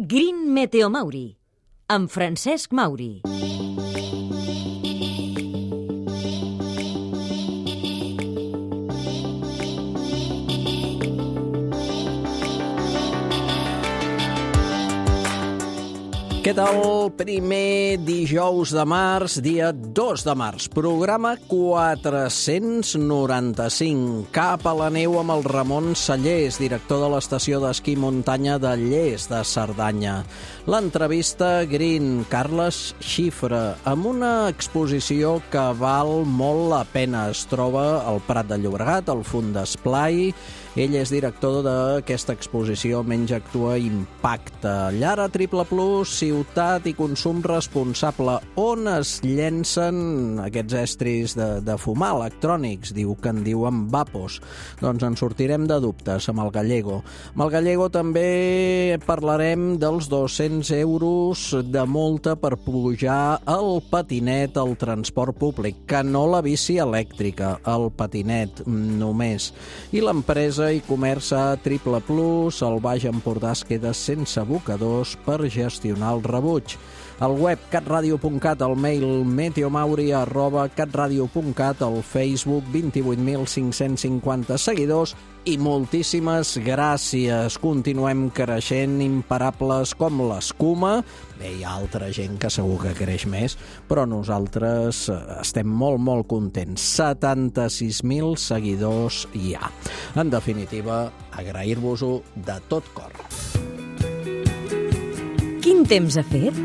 Green Meteo Mauri, amb Francesc Mauri. Què tal? Primer dijous de març, dia 2 de març. Programa 495. Cap a la neu amb el Ramon Sallés, director de l'estació d'esquí muntanya de Lles de Cerdanya. L'entrevista Green, Carles Xifra, amb una exposició que val molt la pena. Es troba al Prat de Llobregat, al Font d'Esplai. Ell és director d'aquesta exposició Menys Actua Impacta. Llara Triple Plus, ciutat i consum responsable. On es llencen aquests estris de fumar electrònics? Diu que en diuen vapos. Doncs en sortirem de dubtes amb el Gallego. Amb el Gallego també parlarem dels 200 euros de multa per pujar el patinet al transport públic, que no la bici elèctrica, el patinet només. I l'empresa i comerç a Triple Plus, el Baix Empordà es queda sense abocadors per gestionar el rebuig. Al web catradio.cat, el mail meteomauri@catradio.cat, el Facebook 28.550 seguidors i moltíssimes gràcies. Continuem creixent imparables com l'escuma. Bé, hi ha altra gent que segur que creix més, però nosaltres estem molt contents. 76.000 seguidors hi ha. En definitiva, agrair-vos-ho de tot cor. Quin temps ha fet?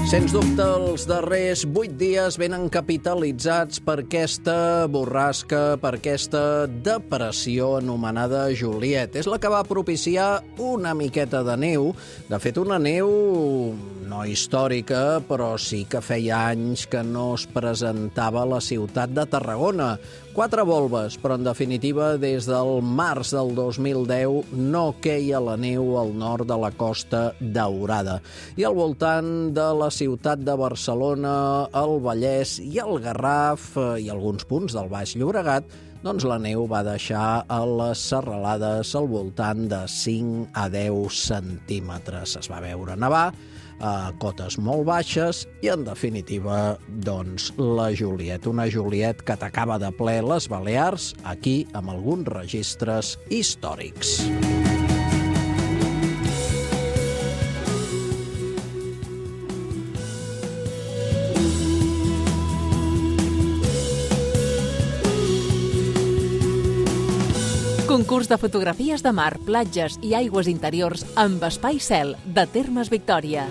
Sens dubte, els darrers 8 dies venen capitalitzats per aquesta borrasca, per aquesta depressió anomenada Juliet. És la que va propiciar una miqueta de neu. De fet, una neu no històrica, però sí que feia anys que no es presentava a la ciutat de Tarragona. 4 volves, però en definitiva des del març del 2010 no queia la neu al nord de la Costa Daurada. I al voltant de la ciutat de Barcelona, el Vallès i el Garraf i alguns punts del Baix Llobregat, doncs la neu va deixar a les serralades al voltant de 5 a 10 centímetres. Es va veure nevar a cotes molt baixes i, en definitiva, doncs, la Juliet. Una Juliet que atacava de ple les Balears, aquí amb alguns registres històrics. Concurs de fotografies de mar, platges i aigües interiors amb Espai Cel, de Termes Victòria.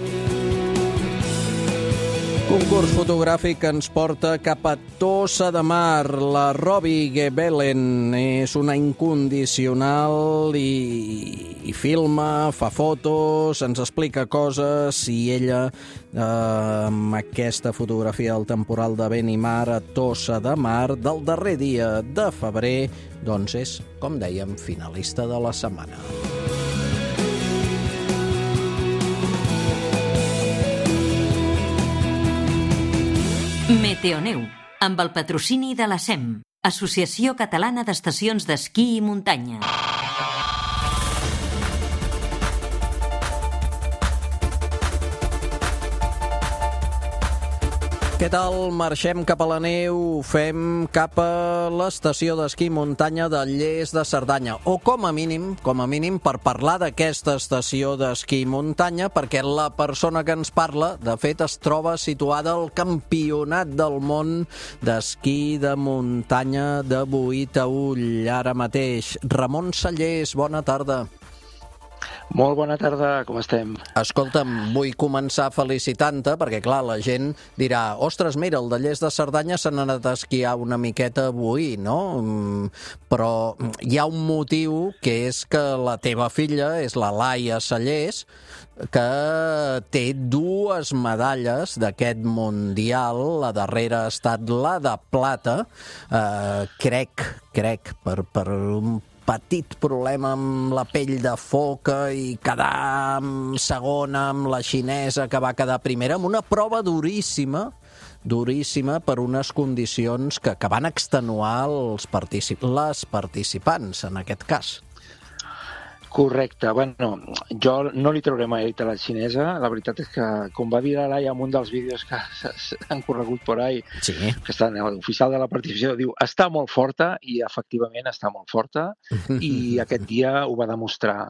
Concurs fotogràfic que ens porta cap a Tossa de Mar. La Robi Gebelen és una incondicional i filma, fa fotos, ens explica coses i ella, amb aquesta fotografia del temporal de vent i mar a Tossa de Mar del darrer dia de febrer, doncs és, com dèiem, finalista de la setmana. Meteoneu, amb el patrocini de la SEM, Associació Catalana d'Estacions d'Esquí i Muntanya. Què tal? Marxem cap a la neu, fem cap a l'estació d'esquí i muntanya de Lles de Cerdanya. O com a mínim, per parlar d'aquesta estació d'esquí i muntanya, perquè la persona que ens parla, de fet, es troba situada al Campionat del Món d'Esquí de Muntanya de Boí-Taüll, ara mateix. Ramon Sallés, bona tarda. Molt bona tarda, com estem? Escolta'm, vull començar felicitant-te, perquè clar, la gent dirà, ostres, mira, el de Lles de Cerdanya s'ha anat a esquiar una miqueta avui, no? Però hi ha un motiu, que és que la teva filla és la Laia Sallés, que té 2 medalles d'aquest mundial. La darrera ha estat la de plata, crec, per un petit problema amb la pell de foca i quedar segona amb la xinesa, que va quedar primera, amb una prova duríssima per unes condicions que van extenuar les participants, en aquest cas. Correcte. Bueno, jo no li trauré mèrit a la xinesa. La veritat és que, com va dir la Laia en un dels vídeos que han corregut por ahí, Sí. que està en l'oficial de la participació, diu, està molt forta, i efectivament està molt forta, i aquest dia ho va demostrar.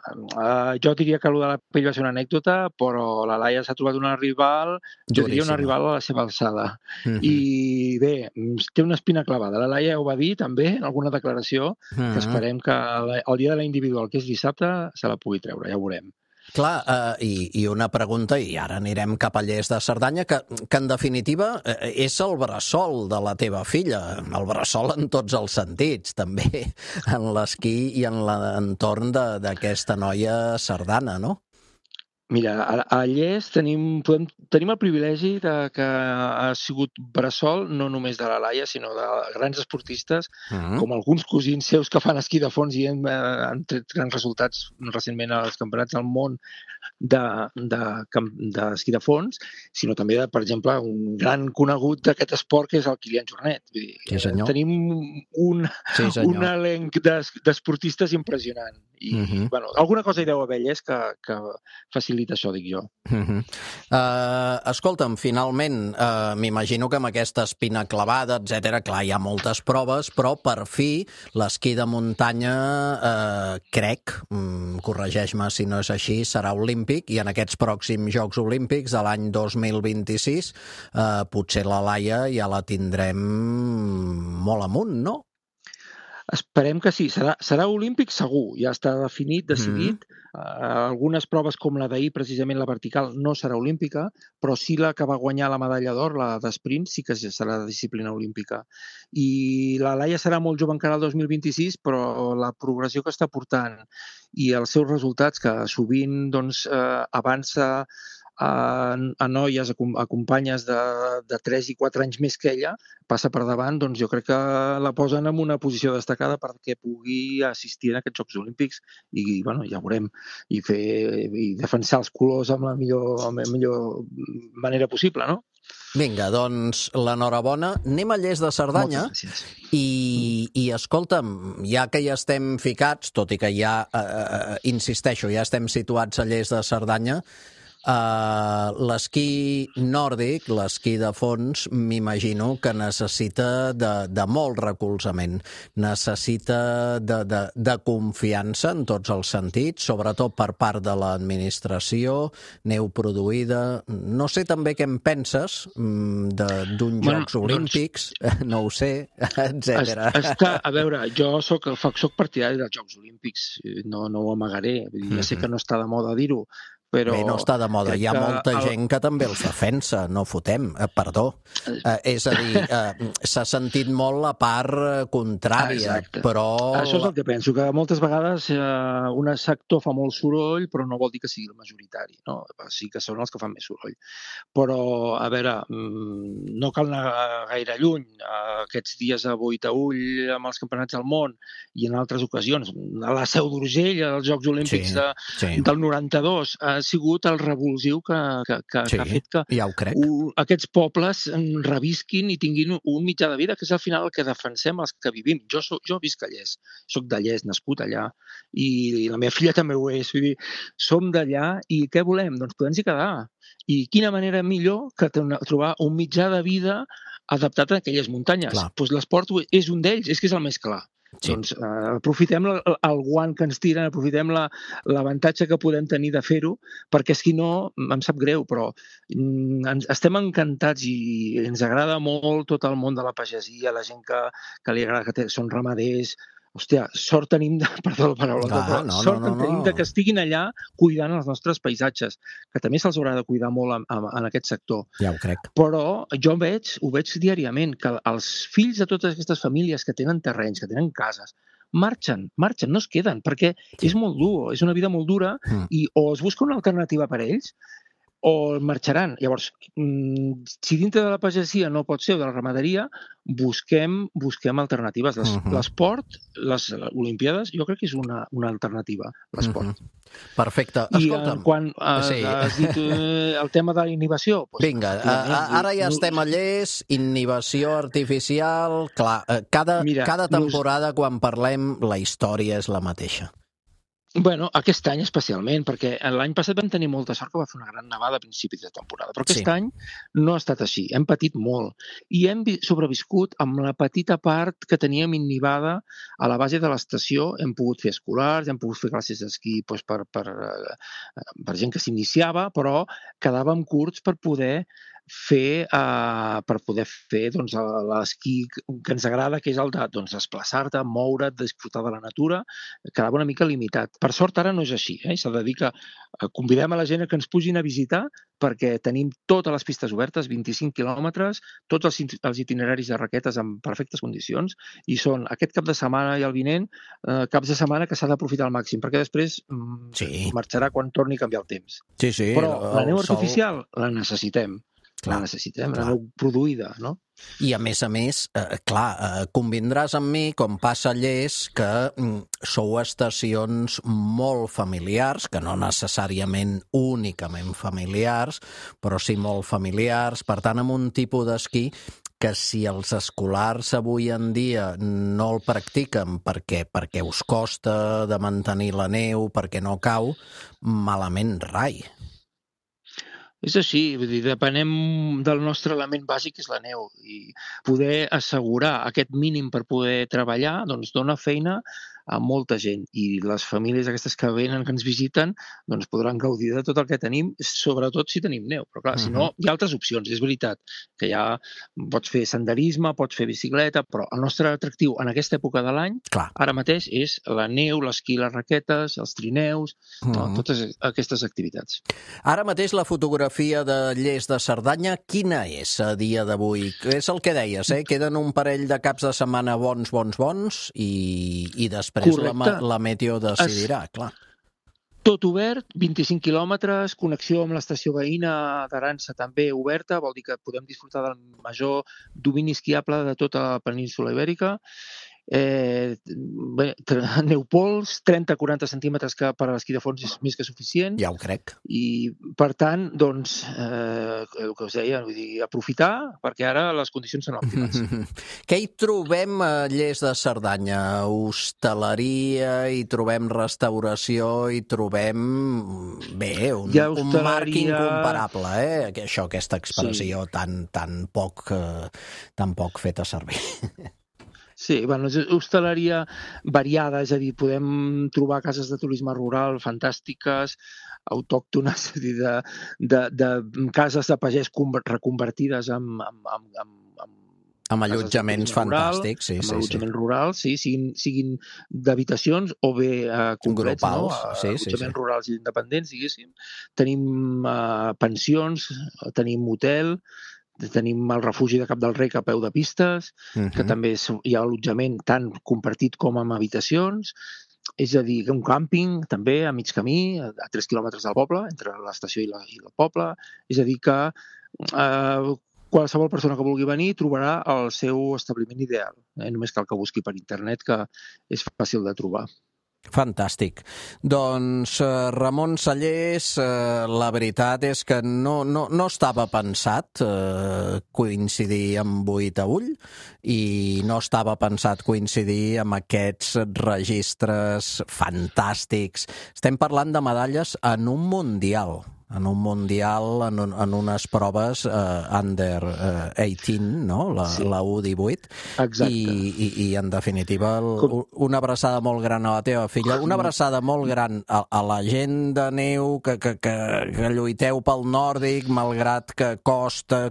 Jo diria que allò de la pell va ser una anècdota, però la Laia s'ha trobat una rival, jo diria una rival a la seva alçada. I bé, té una espina clavada. La Laia ho va dir també en alguna declaració, que esperem que el dia de la individual, que és dissabte, se la pugui treure, ja ho veurem. Clar, i una pregunta, i ara anirem cap a Lles de Cerdanya, que en definitiva és el bressol de la teva filla, el bressol en tots els sentits, també en l'esquí i en l'entorn d'aquesta noia cerdana, no? Mira, a Lles tenim el privilegi de que ha sigut bressol no només de la Laia, sinó de grans esportistes, com alguns cosins seus que fan esquí de fons i han tret grans resultats recentment als campionats del món d'esquí de fons, sinó també, per exemple, un gran conegut d'aquest esport que és el Kilian Jornet. Vull dir, sí, tenim un elenc d'esportistes impressionant. I, bueno, alguna cosa hi deu haver, Lles, que facilita això, dic jo. Escolta'm, finalment, m'imagino que amb aquesta espina clavada, etcètera, clar, hi ha moltes proves, però per fi l'esquí de muntanya, crec, corregeix-me si no és així, serà olímpic, i en aquests pròxims Jocs Olímpics de l'any 2026 potser la Laia ja la tindrem molt amunt, no? Esperem que sí. Serà olímpic segur, ja està decidit. Algunes proves com la d'ahir, precisament la vertical, no serà olímpica, però sí la que va guanyar la medalla d'or, la d'esprint, sí que serà de disciplina olímpica. I la Laia serà molt jove encara el 2026, però la progressió que està portant i els seus resultats, que sovint avança a noies, a companyes de 3 i 4 anys més que ella, passa per davant, doncs jo crec que la posen en una posició destacada perquè pugui assistir a aquests Jocs Olímpics i, bueno, ja veurem, i defensar els colors amb la millor manera possible, no? Vinga, doncs l'enhorabona. Anem a Lles de Cerdanya. Moltes gràcies. I escolta'm, ja que ja estem ficats, tot i que ja, insisteixo, ja estem situats a Lles de Cerdanya, l'esquí nòrdic, l'esquí de fons, m'imagino que necessita de molt recolzament, necessita de confiança en tots els sentits, sobretot per part de l'administració, neu produïda. No sé també què en penses d'un Jocs Olímpics, no ho sé, etcètera. A veure, jo soc partidari dels Jocs Olímpics, no ho amagaré, ja sé que no està de moda dir-ho, però... Bé, no està de moda, hi ha molta gent que també els defensa, no fotem, perdó. És a dir, s'ha sentit molt la part contrària, però... Això és el que penso, que moltes vegades un sector fa molt soroll, però no vol dir que sigui el majoritari, no? Sí que són els que fan més soroll. Però, a veure, no cal anar gaire lluny. Aquests dies a Boitaüll, amb els campionats del món, i en altres ocasions, a la Seu d'Urgell, als Jocs Olímpics del 92, ha sigut el revulsiu que ha fet que aquests pobles revisquin i tinguin un mitjà de vida, que és al final el que defensem els que vivim. Jo visc a Lles, soc de Lles, nascut allà, i la meva filla també ho és. Vull dir, som d'allà i què volem? Doncs podem-hi quedar. I quina manera millor que trobar un mitjà de vida adaptat a aquelles muntanyes. Doncs l'esport és un d'ells, és que és el més clar. Sí. Doncs aprofitem el guant que ens tiren, aprofitem l'avantatge que podem tenir de fer-ho, perquè si no, em sap greu, però estem encantats i ens agrada molt tot el món de la pagesia, la gent que li agrada, que són ramaders. Hòstia, sort tenim perdó la paraula, sort tenim que estiguin allà cuidant els nostres paisatges, que també se'ls haurà de cuidar molt en aquest sector. Ja ho crec. Però jo ho veig diàriament, que els fills de totes aquestes famílies que tenen terrenys, que tenen cases, marxen, no es queden, perquè és molt dur, és una vida molt dura, i o es busca una alternativa per a ells, o marxaran. Llavors, si dintre de la pagesia no pot ser, o de la ramaderia, busquem alternatives. L'esport, les Olimpíades, jo crec que és una alternativa, l'esport. Perfecte. Escolta'm. I quan has dit el tema de la inhibició... Vinga, ara ja estem a Lles, inhibició artificial... Clar, cada temporada, quan parlem, la història és la mateixa. Bueno, aquest any especialment, perquè l'any passat vam tenir molta sort que va fer una gran nevada a principis de temporada, però aquest any no ha estat així, hem patit molt i hem sobreviscut amb la petita part que teníem innivada a la base de l'estació. Hem pogut fer escolars, hem pogut fer classes d'esquí per gent que s'iniciava, però quedàvem curts per poder fer doncs, l'esquí que ens agrada, que és el de desplaçar-te, moure't, disfrutar de la natura, quedava una mica limitat. Per sort ara no és així, s'ha de dir que convidem a la gent que ens pugin a visitar perquè tenim totes les pistes obertes, 25 quilòmetres, tots els itineraris de raquetes en perfectes condicions, i són aquest cap de setmana i el vinent, caps de setmana que s'ha d'aprofitar al màxim, perquè després marxarà quan torni a canviar el temps. Sí, però la neu artificial la necessitem. La necessitem, la neu produïda, no? I a més, convindràs amb mi, com passa a Lles, que sou estacions molt familiars, que no necessàriament únicament familiars, però sí molt familiars, per tant, amb un tipus d'esquí que si els escolars avui en dia no el practiquen perquè us costa de mantenir la neu, perquè no cau, malament rai. És així, vull dir, depenem del nostre element bàsic, que és la neu, i poder assegurar aquest mínim per poder treballar, doncs dona feina a molta gent, i les famílies aquestes que venen, que ens visiten, doncs podran gaudir de tot el que tenim, sobretot si tenim neu. Però clar, si no, hi ha altres opcions, és veritat, que ja pots fer senderisme, pots fer bicicleta, però el nostre atractiu en aquesta època de l'any, ara mateix, és la neu, l'esquí, les raquetes, els trineus, totes aquestes activitats. Ara mateix la fotografia de Lles de Cerdanya, quina és a dia d'avui? És el que deies, queden un parell de caps de setmana bons, i després la meteo decidirà, clar. Tot obert, 25 quilòmetres, connexió amb l'estació veïna d'Aransa també oberta, vol dir que podem disfrutar del major domini esquiable de tota la península ibèrica. Neupols, 30-40 centímetres, que per a l'esquí de fons és més que suficient. Ja ho crec. I, per tant, doncs, el que us deia, vull dir, aprofitar, perquè ara les condicions són òptimes. Què hi trobem a Lles de Cerdanya? Hostaleria, hi trobem restauració, hi trobem, un marc incomparable, aquesta expressió tan poc feta servir. Sí, és hostaleria variada, és a dir, podem trobar cases de turisme rural fantàstiques, autòctones, és a dir, de cases de pagès reconvertides amb allotjaments fantàstics, amb allotjaments rurals, siguin d'habitacions o bé complets, allotjaments rurals i independents, diguéssim. Tenim pensions, tenim hotel, tenim el refugi de Cap del Rec a peu de pistes, que també hi ha allotjament tant compartit com amb habitacions, és a dir, un càmping també a mig camí, a 3 quilòmetres del poble, entre l'estació i el poble, és a dir que qualsevol persona que vulgui venir trobarà el seu establiment ideal. Només cal que busqui per internet, que és fàcil de trobar. Fantàstic. Doncs Ramon Sallés, la veritat és que no estava pensat coincidir amb 8 a Ull i no estava pensat coincidir amb aquests registres fantàstics. Estem parlant de medalles en un mundial, en unes proves under 18, no? La U18. Exacte. I en definitiva, una abraçada molt gran a la teva filla, una abraçada molt gran a la gent de neu que lluiteu pel nòrdic, malgrat que costa,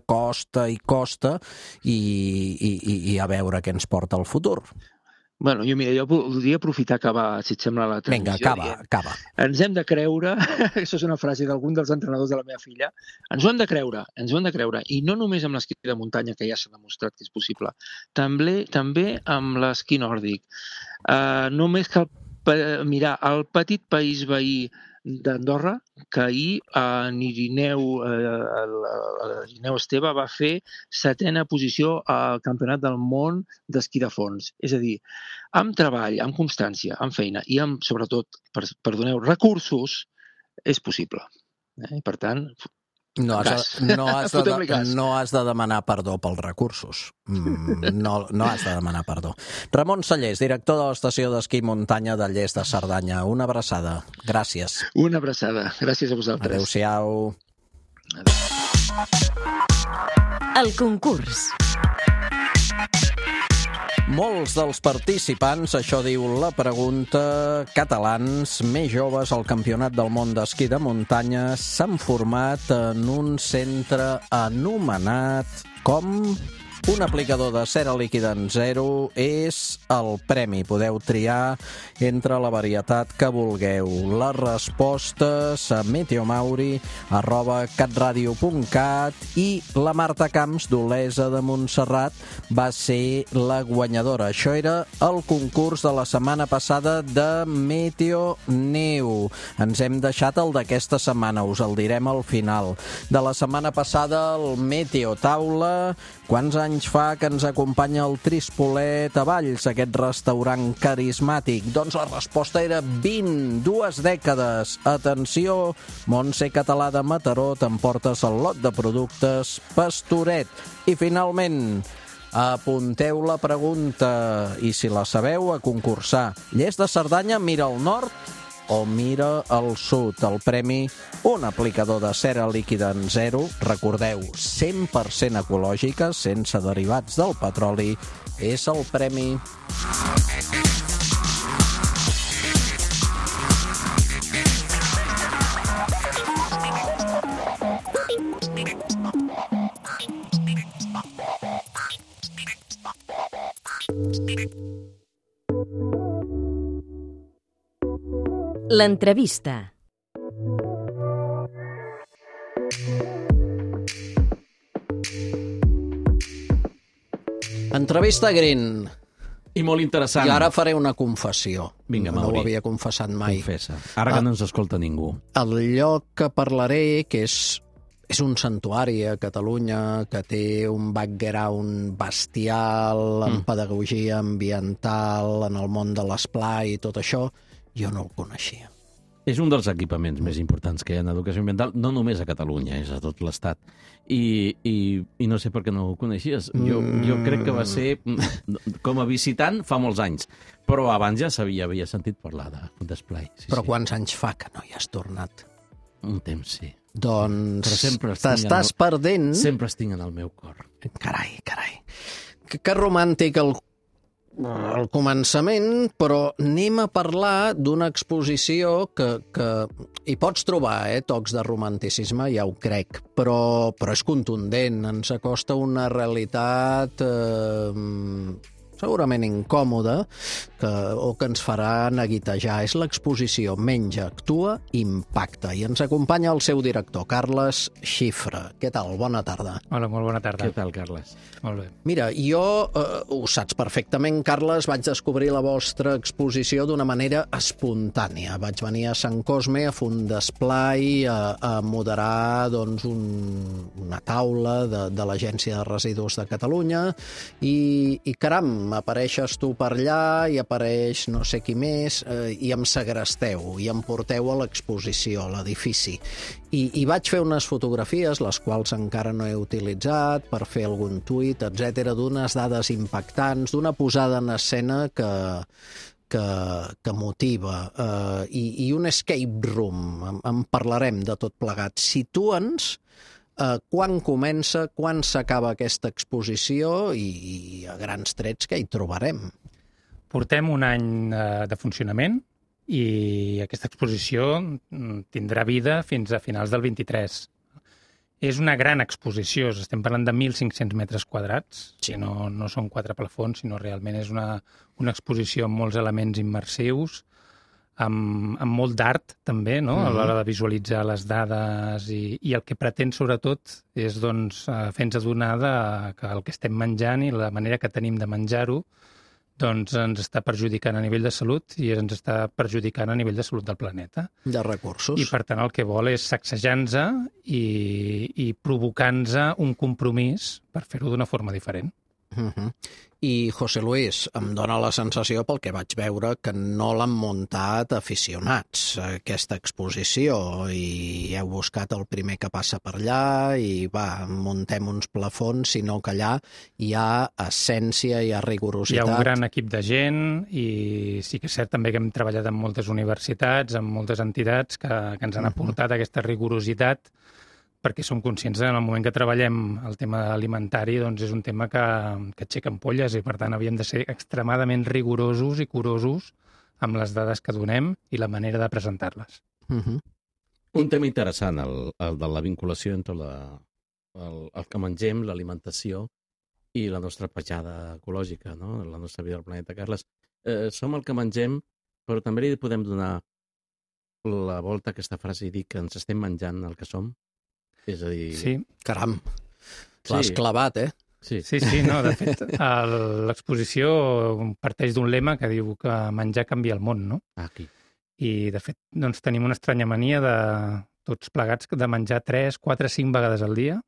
i a veure què ens porta el futur. Bueno, jo voldria aprofitar acabar, si et sembla, la transmissió. Vinga, acaba. Ens hem de creure, això és una frase d'algun dels entrenadors de la meva filla, ens ho hem de creure, i no només amb l'esquí de muntanya, que ja s'ha demostrat que és possible, també amb l'esquí nòrdic. Només cal mirar el petit país veí d'Andorra, que ahir l'Irineu Esteve va fer 7a posició al Campionat del Món d'esquí de fons. És a dir, amb treball, amb constància, amb feina i amb, sobretot, perdoneu, recursos, és possible. Per tant, No has de demanar perdó pels recursos. No has de demanar perdó. Ramon Sallés, director de l'estació d'esquí muntanya de Lles de Cerdanya. Una abraçada. Gràcies. Una abraçada. Gràcies a vosaltres. Adéu-siau. El concurs. Molts dels participants, això diu la pregunta, catalans més joves al Campionat del Món d'Esquí de Muntanya, s'han format en un centre anomenat com... Un aplicador de cera líquida en zero és el premi. Podeu triar entre la varietat que vulgueu. Les respostes a meteomauri@catradio.cat i la Marta Camps d'Olesa de Montserrat va ser la guanyadora. Això era el concurs de la setmana passada de Meteo Neu. Ens hem deixat el d'aquesta setmana, us el direm al final. De la setmana passada, el Meteo Taula. Quants anys fa que ens acompanya el Trispolet a Valls, aquest restaurant carismàtic? Doncs la resposta era 20, 2 dècades. Atenció, Montse Català de Mataró, t'emportes el lot de productes Pastoret. I finalment, apunteu la pregunta i si la sabeu, a concursar. Lles de Cerdanya mira al nord o mira al sud. El premi, un aplicador de cera líquida en zero, recordeu, 100% ecològica, sense derivats del petroli, és el premi. L'entrevista. Entrevista Green. I molt interessant. I ara faré una confessió. Vinga, no Mauri. ho havia confessat mai. Confessa. Ara que no ens escolta ningú. El lloc que parlaré, que és un santuari a Catalunya, que té un background bestial en pedagogia ambiental, en el món de l'esplai i tot això, jo no el coneixia. És un dels equipaments més importants que hi ha en educació ambiental, no només a Catalunya, és a tot l'Estat. I no sé per què no ho coneixies. Jo crec que va ser com a visitant fa molts anys, però abans ja havia sentit parlar d'esplai. Sí, però quants anys fa que no hi has tornat? Un temps, sí. Doncs t'estàs perdent... Sempre estic en el meu cor. Carai. Que romàntic el començament, però anem a parlar d'una exposició que hi pots trobar, tocs de romanticisme, ja ho crec, però és contundent, ens acosta una realitat segurament incòmoda o que ens farà neguitejar. És l'exposició Menja, Actua, Impacta. I ens acompanya el seu director, Carles Xifra. Què tal? Bona tarda. Hola, molt bona tarda. Què tal, Carles? Molt bé. Mira, jo, ho saps perfectament, Carles, vaig descobrir la vostra exposició d'una manera espontània. Vaig venir a Sant Cosme a fer un d'esplai, a moderar doncs, una taula de l'Agència de Residus de Catalunya i caram, apareixes tu per allà i apareix no sé qui més i em segresteu i em porteu a l'exposició, a l'edifici. I vaig fer unes fotografies, les quals encara no he utilitzat, per fer algun tuit, etc, d'unes dades impactants, d'una posada en escena que motiva. I un escape room, en parlarem de tot plegat. Situa'ns quan comença, quan s'acaba aquesta exposició i a grans trets què hi trobarem? Portem un any de funcionament i aquesta exposició tindrà vida fins a finals del 23. És una gran exposició, estem parlant de 1.500 metres quadrats, sí. No són 4 plafons, sinó realment és una exposició amb molts elements immersius, amb molt d'art també, no? A l'hora de visualitzar les dades i el que pretén sobretot és doncs, fer-nos adonar que el que estem menjant i la manera que tenim de menjar-ho doncs ens està perjudicant a nivell de salut i ens està perjudicant a nivell de salut del planeta. De recursos. I per tant el que vol és sacsejar-nos i provocar-nos un compromís per fer-ho d'una forma diferent. I, José Luis, em dóna la sensació, pel que vaig veure, que no l'han muntat aficionats, aquesta exposició, i heu buscat el primer que passa per allà i, muntem uns plafons, sinó que allà hi ha essència, hi ha rigorositat. Hi ha un gran equip de gent i sí que és cert també que hem treballat amb moltes universitats, amb moltes entitats que ens han aportat aquesta rigorositat, perquè som conscients que en el moment que treballem el tema alimentari doncs és un tema que aixeca ampolles i, per tant, havíem de ser extremadament rigorosos i curosos amb les dades que donem i la manera de presentar-les. Un tema interessant, el de la vinculació entre el que mengem, l'alimentació i la nostra petjada ecològica, no? La nostra vida al planeta. Carles, som el que mengem, però també li podem donar la volta a aquesta frase i dir que ens estem menjant el que som? És a dir... Sí. Caram, l'has clavat, Sí, no, de fet, l'exposició parteix d'un lema que diu que menjar canvia el món, no? Aquí. I, de fet, doncs, tenim una estranya mania de tots plegats de menjar 3, 4, 5 vegades al dia,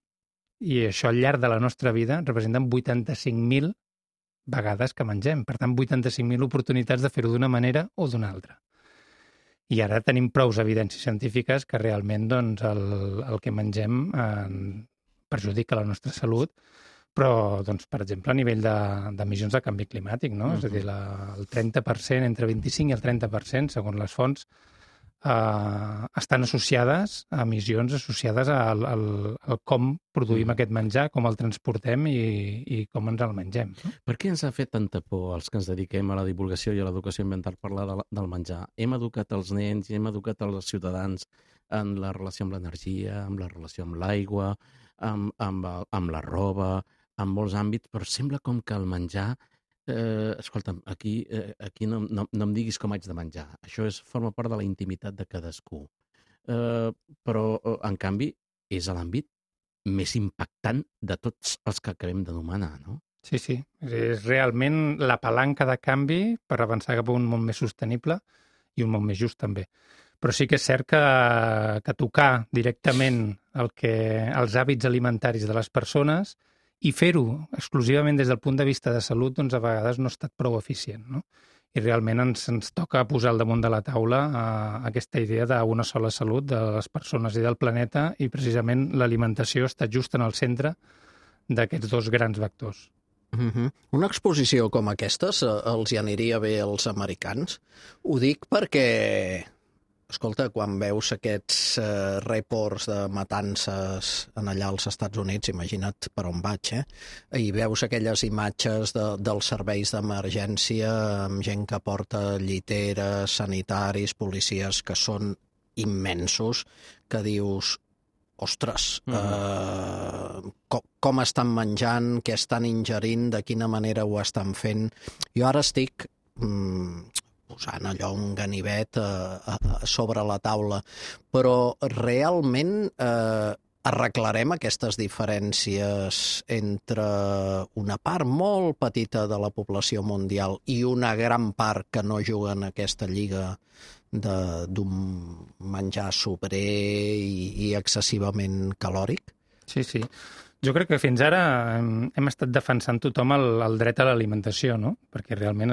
i això al llarg de la nostra vida representen 85.000 vegades que mengem. Per tant, 85.000 oportunitats de fer-ho d'una manera o d'una altra. I ara tenim prous evidències científiques que realment doncs, el que mengem perjudica la nostra salut, però, doncs, per exemple, a nivell d'emissions de canvi climàtic, no? És a dir, el 30%, entre 25 i el 30%, segons les fonts, estan associades a emissions associades al com produïm aquest menjar, com el transportem i com ens el mengem. No? Per què ens ha fet tanta por els que ens dediquem a la divulgació i a l'educació ambiental parlar del menjar? Hem educat els nens i hem educat els ciutadans en la relació amb l'energia, amb la relació amb l'aigua, amb la roba, en molts àmbits, però sembla com que el menjar... escolta'm, aquí no em diguis com haig de menjar. Això forma part de la intimitat de cadascú. Però, en canvi, és l'àmbit més impactant de tots els que acabem d'anomenar, no? Sí. És realment la palanca de canvi per avançar cap a un món més sostenible i un món més just, també. Però sí que és cert que tocar directament els hàbits alimentaris de les persones i fer-ho exclusivament des del punt de vista de salut, doncs a vegades no ha estat prou eficient, no? I realment ens toca posar al damunt de la taula aquesta idea d'una sola salut de les persones i del planeta, i precisament l'alimentació està just en el centre d'aquests dos grans vectors. Una exposició com aquesta els hi aniria bé als americans? Ho dic perquè... Escolta, quan veus aquests reports de matances allà als Estats Units, imagina't per on vaig, i veus aquelles imatges dels serveis d'emergència amb gent que porta lliteres, sanitaris, policies, que són immensos, que dius, ostres, com estan menjant, què estan ingerint, de quina manera ho estan fent. Jo ara estic... posant allò un ganivet sobre la taula, però realment arreglarem aquestes diferències entre una part molt petita de la població mundial i una gran part que no juga en aquesta lliga d'un menjar sobrer i excessivament calòric? Sí. Jo crec que fins ara hem estat defensant tothom el dret a l'alimentació, no? Perquè realment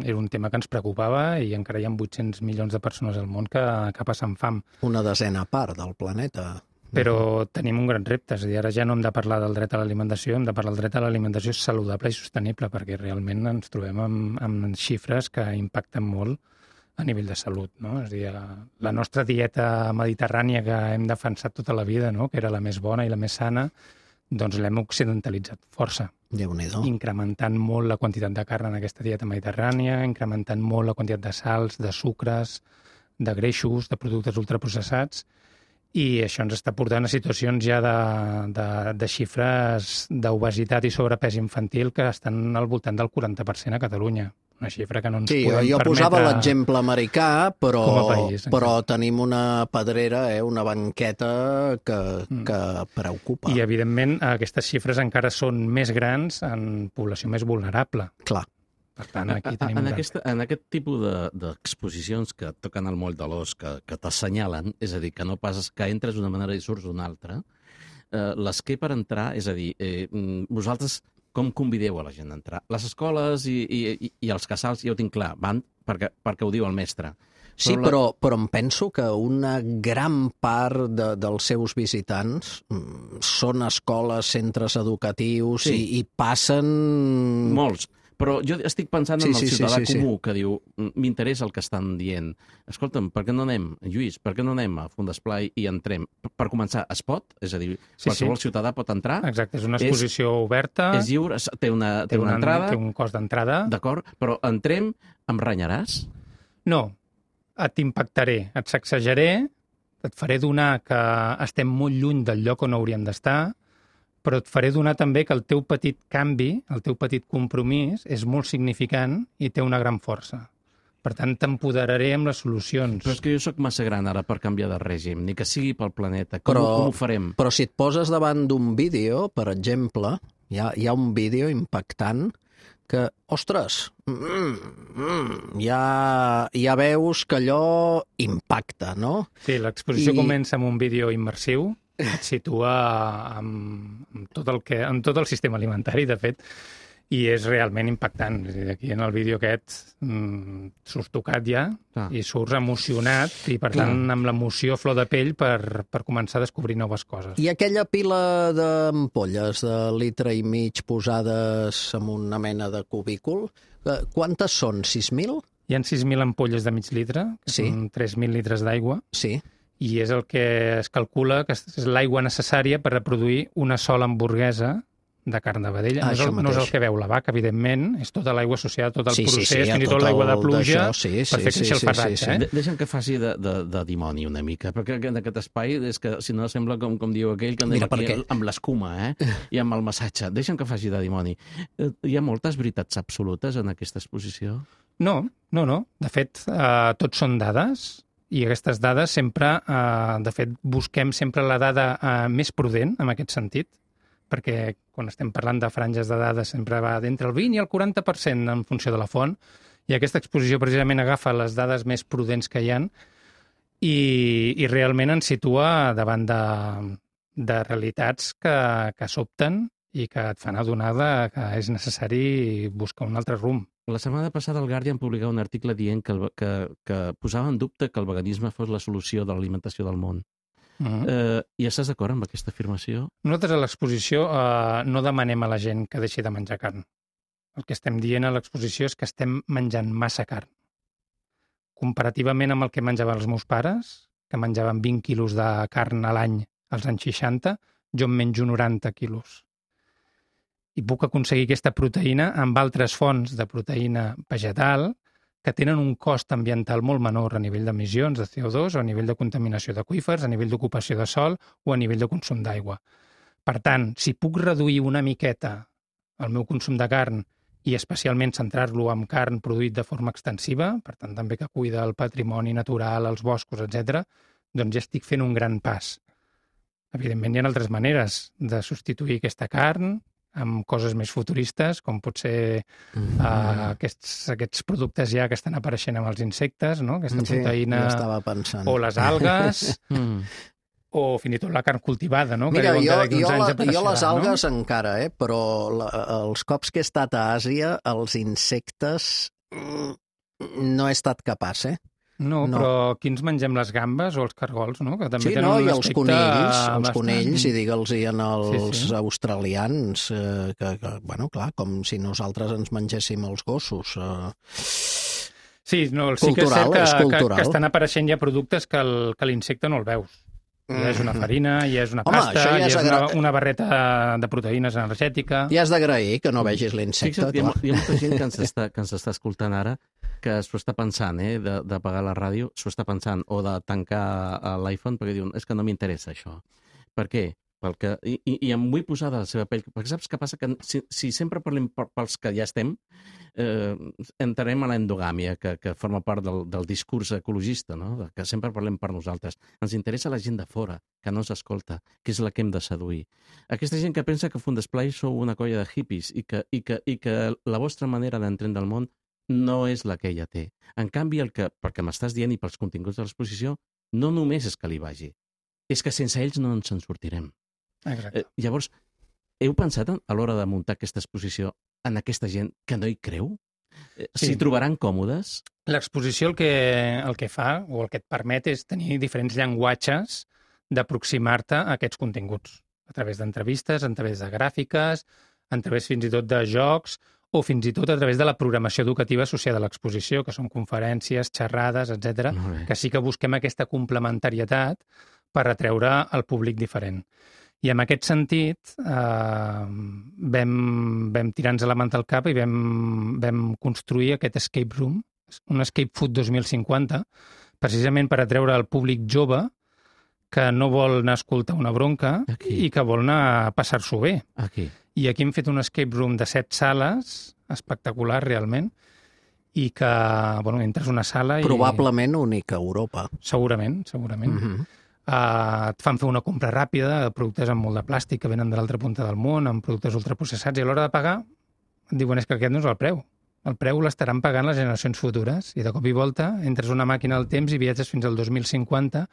era un tema que ens preocupava i encara hi ha 800 milions de persones al món que passen fam. Una desena part del planeta. Però tenim un gran repte, és a dir, ara ja no hem de parlar del dret a l'alimentació, hem de parlar del dret a l'alimentació saludable i sostenible, perquè realment ens trobem amb xifres que impacten molt a nivell de salut, no? És a dir, la nostra dieta mediterrània que hem defensat tota la vida, no? Que era la més bona i la més sana, doncs l'hem occidentalitzat força. Déu-n'hi-do. Incrementant molt la quantitat de carn en aquesta dieta mediterrània, incrementant molt la quantitat de sals, de sucres, de greixos, de productes ultraprocessats, i això ens està portant a situacions ja de xifres d'obesitat i sobrepès infantil que estan al voltant del 40% a Catalunya. Una xifra que no ens podem permetre... Sí, jo posava l'exemple americà, però tenim una pedrera, una banqueta que preocupa. I, evidentment, aquestes xifres encara són més grans en població més vulnerable. Clar. Per tant, aquí tenim en aquest tipus d'exposicions que toquen el moll de l'os, que t'assenyalen, és a dir, que no passes, que entres d'una manera i surts d'una altra, l'esquer per entrar, és a dir, vosaltres com convideu a la gent a entrar. Les escoles i els casals, ja ho tinc clar, van perquè ho diu el mestre. Sí, però em penso que una gran part dels seus visitants són escoles, centres educatius i passen... Molts. Però jo estic pensant en el ciutadà comú que diu m'interessa el que estan dient. Escolta'm, per què no anem, Lluís, per què no anem a Font d'Esplai i entrem? Per començar, es pot? És a dir, qualsevol ciutadà pot entrar? Exacte, és una exposició oberta. És lliure, té una entrada. Té un cost d'entrada. D'acord, però entrem, em renyaràs? No, t'impactaré, et sacsejaré, et faré donar que estem molt lluny del lloc on hauríem d'estar, però et faré donar també que el teu petit canvi, el teu petit compromís, és molt significant i té una gran força. Per tant, t'empoderaré amb les solucions. Però és que jo sóc massa gran ara per canviar de règim, ni que sigui pel planeta. Com ho farem? Però si et poses davant d'un vídeo, per exemple, hi ha un vídeo impactant que, ostres, ja veus que allò impacta, no? Sí, l'exposició comença amb un vídeo immersiu, et situa amb tot el sistema alimentari, de fet, i és realment impactant. Aquí en el vídeo aquest surts tocat ja i surts emocionat i, per tant, amb l'emoció a flor de pell per començar a descobrir noves coses. I aquella pila d'ampolles de litre i mig posades en una mena de cubícul, quantes són? 6.000? Hi ha 6.000 ampolles de mig litre, que són 3.000 litres d'aigua. Sí. I és el que es calcula que és l'aigua necessària per reproduir una sola hamburguesa de carn de vedella. No és el que veu la vaca, evidentment, és tota l'aigua associada a tot el procés, fins i tot l'aigua de pluja, per fer créixer el farratge. Deixa'm que faci de dimoni una mica, perquè en aquest espai és que, si no, sembla com diu aquell, que anem aquí amb l'escuma i amb el massatge. Deixa'm que faci de dimoni. Hi ha moltes veritats absolutes en aquesta exposició? No. De fet, tots són dades, i aquestes dades sempre, de fet, busquem sempre la dada més prudent, en aquest sentit, perquè quan estem parlant de franges de dades sempre va d'entre el 20 i el 40% en funció de la font, i aquesta exposició precisament agafa les dades més prudents que hi ha i realment ens situa davant de realitats que sobten i que et fan adonar que és necessari buscar un altre rumb. La setmana passada el Guardian publicava un article dient que posava en dubte que el veganisme fos la solució de l'alimentació del món. I estàs d'acord amb aquesta afirmació? Nosaltres a l'exposició no demanem a la gent que deixi de menjar carn. El que estem dient a l'exposició és que estem menjant massa carn. Comparativament amb el que menjaven els meus pares, que menjaven 20 quilos de carn a l'any als anys 60, jo en menjo 90 quilos. I puc aconseguir aquesta proteïna amb altres fonts de proteïna vegetal que tenen un cost ambiental molt menor a nivell d'emissions de CO2 o a nivell de contaminació d'aqüífers, a nivell d'ocupació de sòl o a nivell de consum d'aigua. Per tant, si puc reduir una miqueta el meu consum de carn i especialment centrar-lo en carn produït de forma extensiva, per tant també que cuida el patrimoni natural, els boscos, etc., doncs ja estic fent un gran pas. Evidentment hi ha altres maneres de substituir aquesta carn amb coses més futuristes, com pot ser aquests productes ja que estan apareixent amb els insectes, no? Aquesta proteïna, o les algues, o fins i tot la carn cultivada, no? Mira, jo les algues encara, però els cops que he estat a Àsia, els insectes no he estat capaç, No, però aquí ens mengem les gambes o els cargols, no? Que també tenen un aspecte els conills, i digue'ls als australians, que, bueno, clar, com si nosaltres ens mengéssim els gossos. Sí, sí que és cert que estan apareixent ja productes que l'insecte no el veus. Ja és una farina, ja és una pasta, ja és una barreta de proteïnes energètica... Ja has d'agrair que no vegis l'insecte. Hi ha molta gent que ens està escoltant ara que s'ho està pensant, d'apagar la ràdio, s'ho està pensant, o de tancar l'iPhone, perquè diuen, és que no m'interessa això. Per què? I em vull posar de la seva pell, perquè saps què passa? Que si sempre parlem pels que ja estem, entrarem a l'endogàmia, que forma part del discurs ecologista, no? Que sempre parlem per nosaltres. Ens interessa la gent de fora, que no ens escolta, que és la que hem de seduir. Aquesta gent que pensa que Font d'Esplai sou una colla de hippies i que la vostra manera d'entendre el món no és la que ella té. En canvi, perquè m'estàs dient i pels continguts de l'exposició, no només és que li vagi, és que sense ells no ens en sortirem. Exacte. Llavors, Heu pensat a l'hora de muntar aquesta exposició en aquesta gent que no hi creu? Sí. S'hi trobaran còmodes? L'exposició el que fa, o el que et permet, és tenir diferents llenguatges d'aproximar-te a aquests continguts, a través d'entrevistes, a través de gràfiques, a través fins i tot de jocs, o fins i tot a través de la programació educativa associada a l'exposició, que són conferències, xerrades, etc, Molt bé. que sí que busquem aquesta complementarietat per atreure al públic diferent. I en aquest sentit vam tirar-nos la manta al cap i vam construir aquest escape room, un escape food 2050, precisament per atreure al públic jove que no vol anar a escoltar una bronca Aquí. i que vol anar a passar-s'ho bé. Aquí. I aquí hem fet un escape room de 7 sales, espectacular realment, i que, bueno, entres a una sala i... Probablement única a Europa. Segurament. Et fan fer una compra ràpida de productes amb molt de plàstic que venen de l'altra punta del món, amb productes ultraprocessats, i a l'hora de pagar et diuen és que aquest no és el preu. El preu l'estaran pagant les generacions futures, i de cop i volta entres a una màquina del temps i viatges fins al 2050,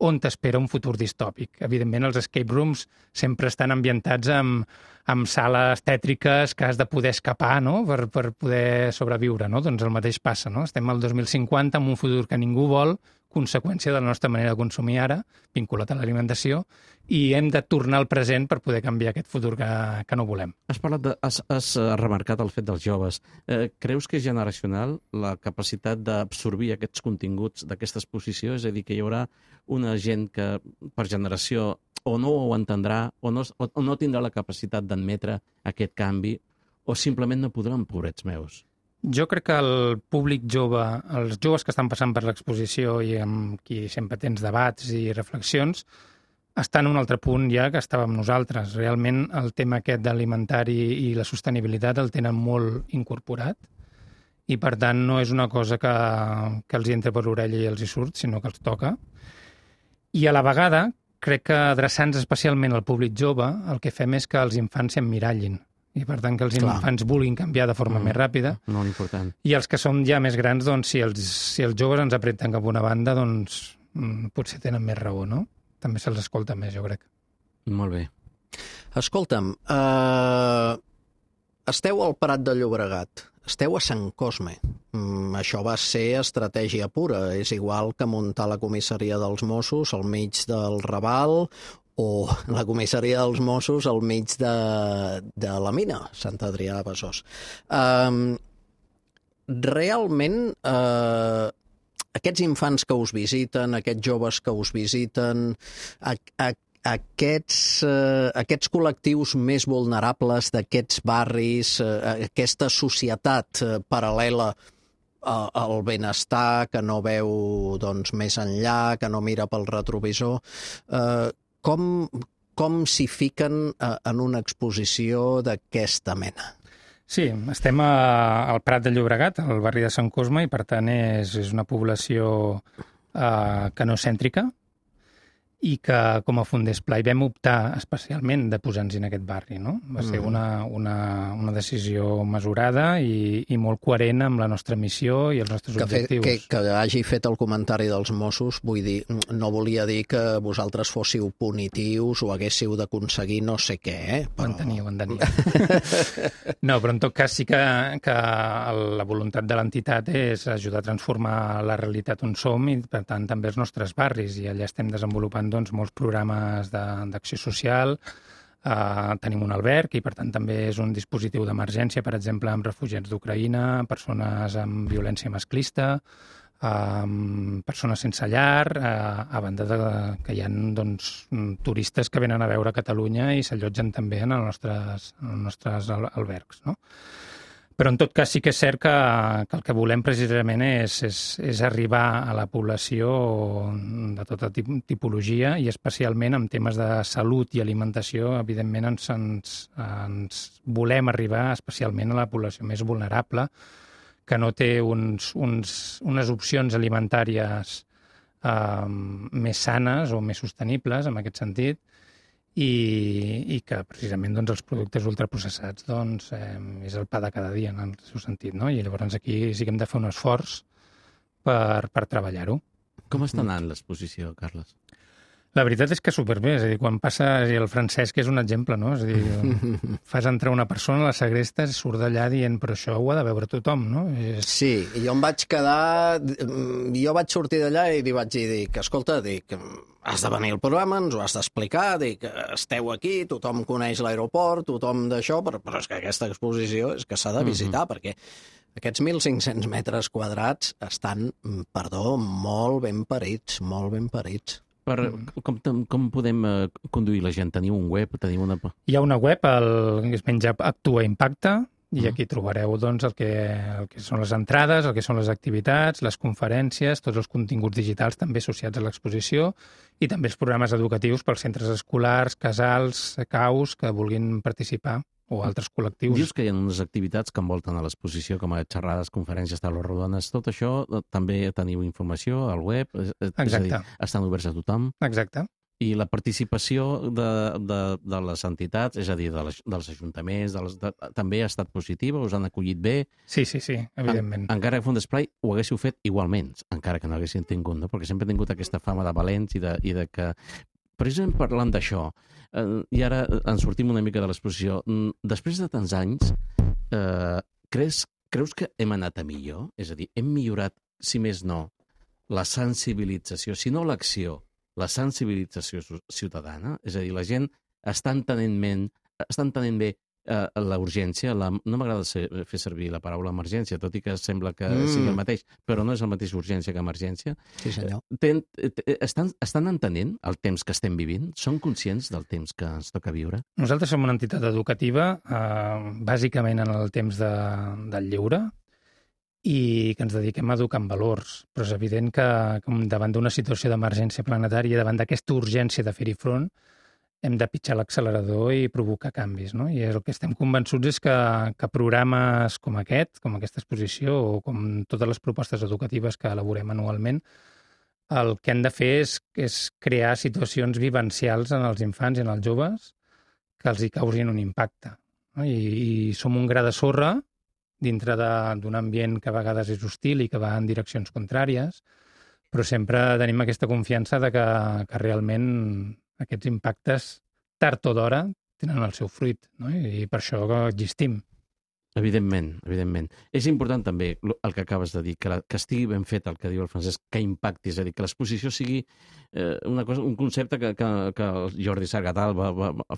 on t'espera un futur distòpic. Evidentment, els escape rooms sempre estan ambientats amb sales tètriques que has de poder escapar, no?, per poder sobreviure, no? Doncs el mateix passa, no? Estem al 2050 amb un futur que ningú vol, conseqüència de la nostra manera de consumir ara, vinculat a l'alimentació, i hem de tornar al present per poder canviar aquest futur que no volem. Has remarcat el fet dels joves. Creus que és generacional la capacitat d'absorbir aquests continguts d'aquesta exposició? És a dir, que hi haurà una gent que per generació o no ho entendrà o no tindrà la capacitat d'admetre aquest canvi o simplement no podran, pobrets meus? Jo crec que el públic jove, els joves que estan passant per l'exposició i amb qui sempre tens debats i reflexions, estan en un altre punt ja que estàvem nosaltres. Realment el tema aquest d'alimentari i la sostenibilitat el tenen molt incorporat i per tant no és una cosa que els entra per l'orella i els hi surt, sinó que els toca. I a la vegada crec que adreçant-nos especialment al públic jove el que fem és que els infants s'emmirallin i per tant que els infants vulguin canviar de forma més ràpida. Molt important. I els que som ja més grans, doncs, si els joves ens apreten cap a una banda, doncs potser tenen més raó, no? També se'ls escolta més, jo crec. Molt bé. Escolta'm, esteu al Prat de Llobregat, esteu a Sant Cosme. Això va ser estratègia pura. És igual que muntar la comissaria dels Mossos al mig del Raval o la comissaria dels Mossos al mig de la mina, Sant Adrià de Besòs. Realment, aquests infants que us visiten, aquests joves que us visiten, aquests col·lectius més vulnerables d'aquests barris, aquesta societat paral·lela al benestar, que no veu doncs, més enllà, que no mira pel retrovisor, com s'hi fiquen en una exposició d'aquesta mena? Sí, estem al Prat de Llobregat, al barri de Sant Cosme, i per tant és una població canocèntrica i que com a Fundesplai vam optar especialment de posar-nos en aquest barri, no? Va ser una decisió mesurada i molt coherent amb la nostra missió i els nostres objectius. Que hagi fet el comentari dels Mossos, vull dir, no volia dir que vosaltres fóssiu punitius o haguéssiu d'aconseguir no sé què, Ho entenia. No, però en tot cas sí que la voluntat de l'entitat és ajudar a transformar la realitat on som i, per tant, també els nostres barris, i allà estem desenvolupant molts programes d'acció social. Tenim un alberg i, per tant, també és un dispositiu d'emergència, per exemple, amb refugiats d'Ucraïna, persones amb violència masclista, persones sense llar, a banda que hi ha turistes que venen a veure Catalunya i s'allotgen també en els nostres albergs, no? Però, en tot cas, sí que és cert que el que volem precisament és arribar a la població de tota tipologia i especialment en temes de salut i alimentació. Evidentment, ens volem arribar especialment a la població més vulnerable, que no té unes opcions alimentàries més sanes o més sostenibles, en aquest sentit, i que precisament els productes ultraprocessats és el pa de cada dia en el seu sentit, no? I llavors aquí sí que hem de fer un esforç per treballar-ho. Com està anant l'exposició, Carles? La veritat és que superbé, és a dir, quan passa, el Francesc és un exemple, no? És a dir, fas entrar una persona, la segrestes, surt d'allà dient, però això ho ha de veure tothom, no? Sí, i jo em vaig quedar... Jo vaig sortir d'allà i li vaig dir que, escolta, has de venir al programa, ens ho has d'explicar, que esteu aquí, tothom coneix l'aeroport, tothom d'això, però és que aquesta exposició és que s'ha de visitar, perquè aquests 1.500 metres quadrats estan, perdó, molt ben parits, molt ben parits. Com podem conduir la gent? Teniu un web? Teniu una... Hi ha una web que es menja Actua Impacte, i aquí trobareu doncs, el que són les entrades, el que són les activitats, les conferències, tots els continguts digitals també associats a l'exposició i també els programes educatius pels centres escolars, casals, caus que vulguin participar o altres col·lectius. Dius que hi ha unes activitats que envolten a l'exposició, com a xerrades, conferències, taules rodones, tot això també teniu informació al web? Exacte. És a dir, estan oberts a tothom? Exacte. I la participació de les entitats, és a dir, dels ajuntaments, també ha estat positiva? Us han acollit bé? Sí, evidentment. Encara que Font d'Esplai ho haguéssiu fet igualment, encara que no haguessin tingut, no? Perquè sempre he tingut aquesta fama de valents i de que... Precisament parlant d'això, i ara ens sortim una mica de l'exposició, després de tants anys, creus que hem anat a millor? És a dir, hem millorat, si més no, la sensibilització, si no l'acció, la sensibilització ciutadana? És a dir, la gent està entenent bé la urgència, no m'agrada fer servir la paraula emergència, tot i que sembla que sigui el mateix, però no és el mateix urgència que emergència. Sí, senyor. Estan entenent el temps que estem vivint? Són conscients del temps que ens toca viure? Nosaltres som una entitat educativa, bàsicament en el temps del lleure, i que ens dediquem a educar en valors. Però és evident que davant d'una situació d'emergència planetària, davant d'aquesta urgència de fer-hi front, hem de pitjar l'accelerador i provocar canvis, no? I el que estem convençuts és que programes com aquest, com aquesta exposició o com totes les propostes educatives que elaborem anualment, el que han de fer és crear situacions vivencials en els infants i en els joves que els hi causin un impacte, no? I som un gra de sorra dintre d'un ambient que a vegades és hostil i que va en direccions contràries, però sempre tenim aquesta confiança de que realment aquests impactes, tard o d'hora, tenen el seu fruit, no? I per això existim. Evidentment, evidentment. És important també el que acabes de dir, que estigui ben fet el que diu el Francesc, que impacti, és a dir, que l'exposició sigui un concepte que el Jordi Sargatal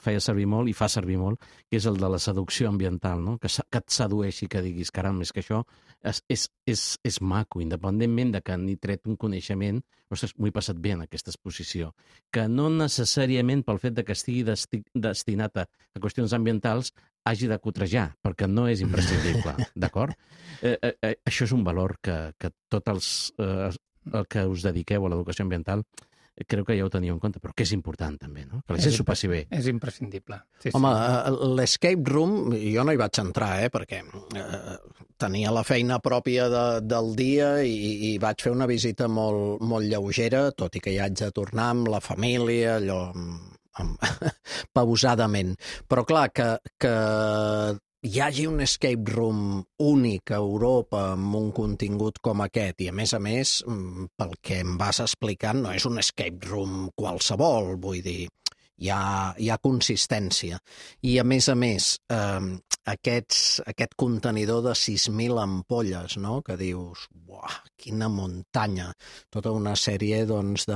feia servir molt i fa servir molt, que és el de la seducció ambiental, no? Que et sedueixi, que diguis, caram, és que això és maco, independentment de que n'hi tret un coneixement, ostres, m'ho he passat bé en aquesta exposició, que no necessàriament pel fet de que estigui destinat a qüestions ambientals hagi de cotrejar, perquè no és imprescindible, d'acord? Això és un valor que tots el que us dediqueu a l'educació ambiental crec que ja ho teniu en compte, però que és important també, no? Que la gent s'ho passi bé. És imprescindible. Sí, home, l'escape room, jo no hi vaig entrar, perquè tenia la feina pròpia del dia i vaig fer una visita molt, molt lleugera, tot i que hi haig de tornar amb la família, allò pausadament. Però clar, que hi hagi un escape room únic a Europa amb un contingut com aquest, i a més, pel que em vas explicant, no és un escape room qualsevol, vull dir, hi ha consistència. I a més, aquest contenidor de 6.000 ampolles, no?, que dius, uah, quina muntanya, tota una sèrie, doncs,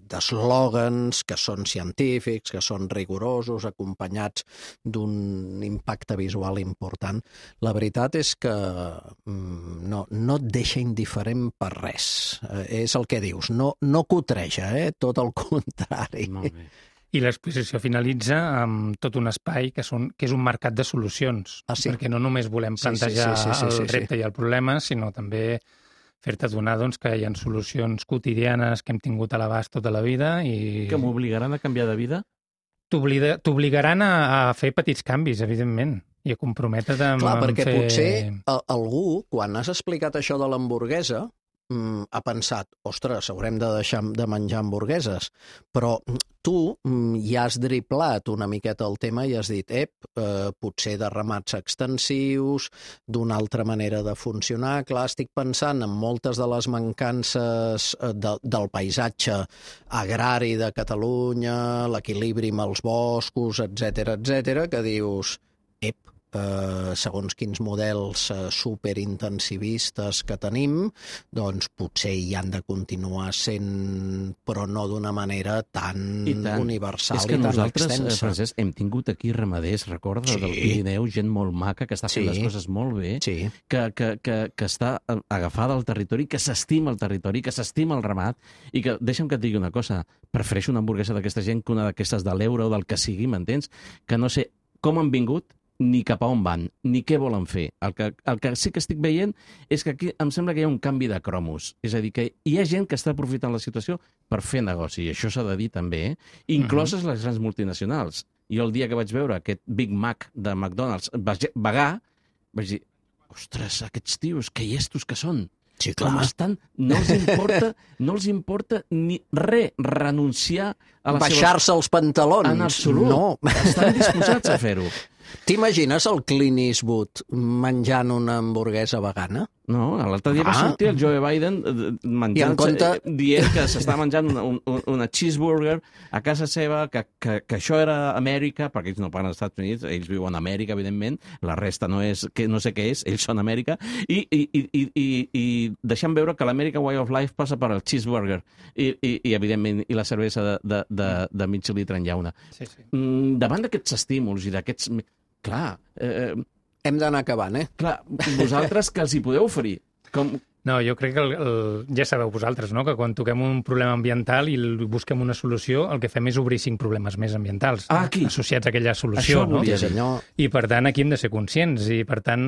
d'eslògans que són científics, que són rigorosos, acompanyats d'un impacte visual important. La veritat és que no et deixa indiferent per res. És el que dius, no cotreja, tot el contrari. Molt bé. I l'exposició finalitza amb tot un espai que és un mercat de solucions, perquè no només volem plantejar el repte i el problema, sinó també fer-te adonar que hi ha solucions quotidianes que hem tingut a l'abast tota la vida i... Que m'obligaran a canviar de vida? T'obligaran a fer petits canvis, evidentment, i a comprometre't amb... Clar, perquè potser algú, quan has explicat això de l'hamburguesa, ha pensat, ostres, haurem de deixar de menjar hamburgueses, però tu ja has driblat una miqueta el tema i has dit, potser de ramats extensius, d'una altra manera de funcionar. Clar, estic pensant en moltes de les mancances del paisatge agrari de Catalunya, l'equilibri amb els boscos, etc, que dius, segons quins models superintensivistes que tenim, doncs potser hi han de continuar sent, però no d'una manera tan universal i tan extensa. És que nosaltres, Francesc, hem tingut aquí ramaders, recorda, del Pirineu, gent molt maca, que està fent les coses molt bé, que està agafada al territori, que s'estima el territori, que s'estima el ramat, i que, deixa'm que et digui una cosa, prefereixo una hamburguesa d'aquesta gent que una d'aquestes de l'euro o del que sigui, m'entens? Que no sé com han vingut, ni cap a on van, ni què volen fer. El que sí que estic veient és que aquí em sembla que hi ha un canvi de cromos. És a dir, que hi ha gent que està aprofitant la situació per fer negoci, i això s'ha de dir també, incloses les grans multinacionals. Jo el dia que vaig veure aquest Big Mac de McDonald's vegà, vaig dir, ostres, aquests tios, que llestos que són. Sí, clar. Com estan, no els importa ni renunciar a la seva... Baixar-se els pantalons. En absolut. No. Estan disposats a fer-ho. T'imagines el Clint Eastwood menjant una hamburguesa vegana? No, l'altre dia va sortir el Joe Biden dient que s'està menjant una cheeseburger a casa seva, que això era Amèrica, perquè ells no parlen als Estats Units, ells viuen a Amèrica, evidentment, la resta no sé què és, ells són Amèrica, i deixant veure que l'American Way of Life passa per al cheeseburger, i evidentment, i la cervesa de mig litre en llauna. Davant d'aquests estímuls i d'aquests... Clar... Hem d'anar acabant, Clar, vosaltres que els hi podeu oferir? No, jo crec que ja sabeu vosaltres, no?, que quan toquem un problema ambiental i busquem una solució, el que fem és obrir 5 problemes més ambientals associats a aquella solució. Això volia dir. I, per tant, aquí hem de ser conscients. I, per tant,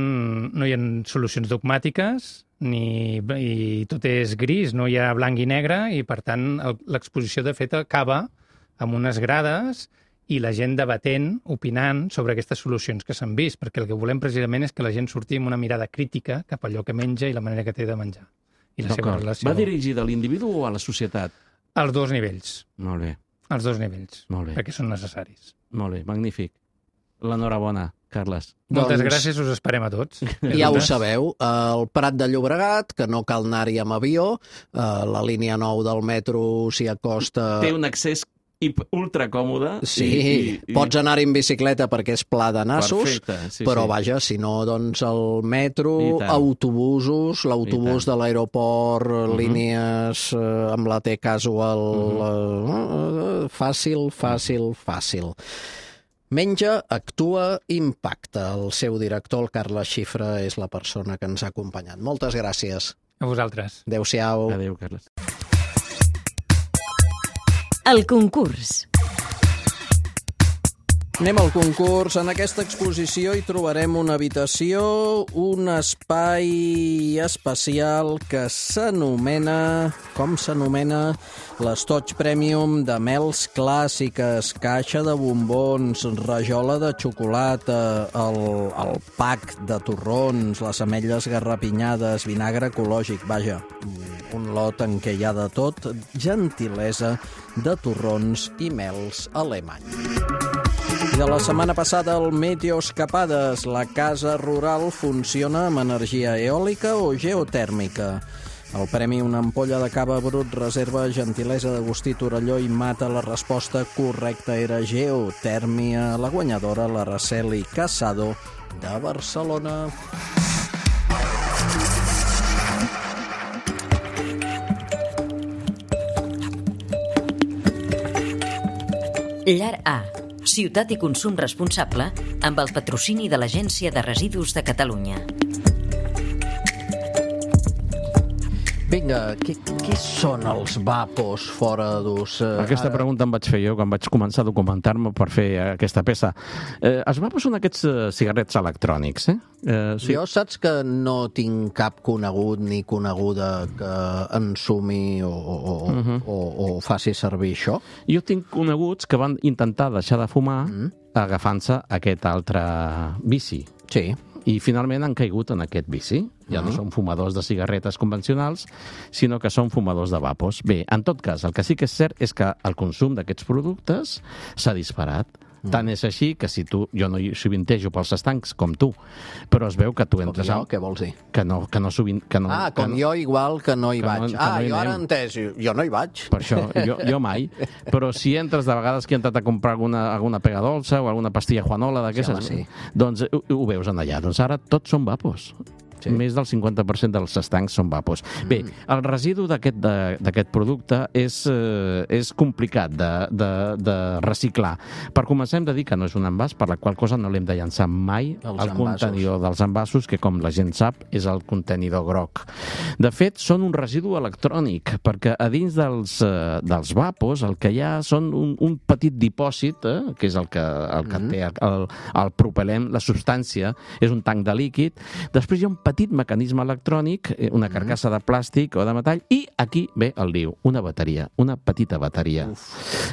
no hi ha solucions dogmàtiques i tot és gris, no hi ha blanc i negre, i, per tant, l'exposició, de fet, acaba amb unes grades i la gent debatent, opinant sobre aquestes solucions que s'han vist, perquè el que volem precisament és que la gent surti amb una mirada crítica cap a allò que menja i la manera que té de menjar. I la seva relació. Va dirigida a l'individu o a la societat? Als 2 nivells. Molt bé. Als 2 nivells. Molt bé. Perquè són necessaris. Molt bé, magnífic. L'enhorabona, Carles. Moltes gràcies, us esperem a tots. Ja ho sabeu, el Prat de Llobregat, que no cal anar-hi amb avió, la línia 9 del metro s'hi acosta... Té un accés ultra còmode. Sí, pots anar-hi en bicicleta perquè és pla de nassos, però vaja, si no, doncs el metro, autobusos, l'autobús de l'aeroport, línies amb la T casual, fàcil. Menja, actua, impacta. El seu director, el Carles Xifra, és la persona que ens ha acompanyat. Moltes gràcies. A vosaltres. Adéu-siau. Adéu, Carles. El concurs. Anem al concurs. En aquesta exposició hi trobarem una habitació, un espai especial que s'anomena... Com s'anomena? L'Estoig Premium de mels clàssiques, caixa de bombons, rajola de xocolata, el pack de torrons, les ametlles garrapinyades, vinagre ecològic, vaja, un lot en què hi ha de tot, gentilesa de torrons i mels alemany. I de la setmana passada, el Meteoscapades, la casa rural funciona amb energia eòlica o geotèrmica. El premi Una ampolla de cava brut reserva gentilesa d'Agustí Torelló i Mata. La resposta correcta era geotèrmia. La guanyadora, l'Araceli Casado, de Barcelona. Llar A, ciutat i consum responsable, amb el patrocini de l'Agència de Residus de Catalunya. Vinga, què són els vapos fora d'ús? Aquesta pregunta em vaig fer jo quan vaig començar a documentar-me per fer aquesta peça. Els vapos són aquests cigarrets electrònics, Sí. Jo saps que no tinc cap conegut ni coneguda que ensumi o faci servir això? Jo tinc coneguts que van intentar deixar de fumar agafant-se aquest altre vici. Sí. I finalment han caigut en aquest vici. Ja no són fumadors de cigarretes convencionals, sinó que són fumadors de vapos. Bé, en tot cas, el que sí que és cert és que el consum d'aquests productes s'ha disparat. Tant és així que si tu... Jo no hi sovintejo pels estancs com tu, però es veu que tu entres... Com jo, què vols dir? Que no sovint... Jo igual que no hi vaig. No jo ara he entès, jo no hi vaig. Per això, jo mai. Però si entres de vegades que he entrat a comprar alguna pega dolça o alguna pastilla Juanola d'aquestes, Sí. doncs ho veus en allà. Doncs ara tots són vapos. Sí. Més del 50% dels estancs són vapos. Bé, el residu d'aquest producte és complicat de reciclar. Per començar, hem de dir que no és un envàs, per la qual cosa no l'hem de llançar mai al contenidor dels envasos, que com la gent sap és el contenidor groc. De fet, són un residu electrònic, perquè a dins dels vapos el que hi ha són un petit dipòsit, que és el que té el propelent, la substància, és un tanc de líquid. Després hi ha un petit mecanisme electrònic, una carcassa de plàstic o de metall, i aquí ve el lío, una bateria, una petita bateria.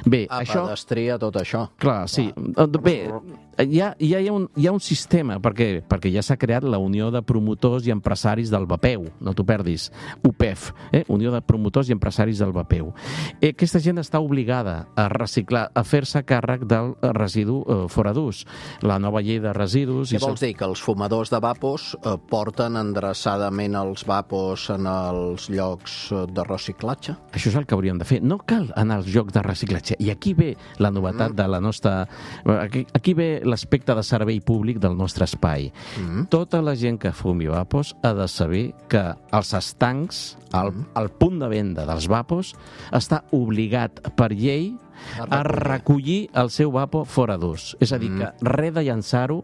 Bé, això... Pedestria, tot això. Clar, sí. Bé, hi ha un sistema, perquè ja s'ha creat la Unió de Promotors i Empresaris del Vapeu, no t'ho perdis, UPEF, Unió de Promotors i Empresaris del Vapeu. Aquesta gent està obligada a reciclar, a fer-se càrrec del residu fora d'ús. La nova llei de residus... Què vols dir? Que els fumadors de vapos porten endreçadament els vapos en els llocs de reciclatge? Això és el que hauríem de fer. No cal anar als llocs de reciclatge. I aquí ve la novetat de la nostra... Aquí ve l'aspecte de servei públic del nostre espai. Tota la gent que fumi vapos ha de saber que els estancs, el punt de venda dels vapos, està obligat per llei a recollir el seu vapo fora d'ús. És a dir, que res de llançar-ho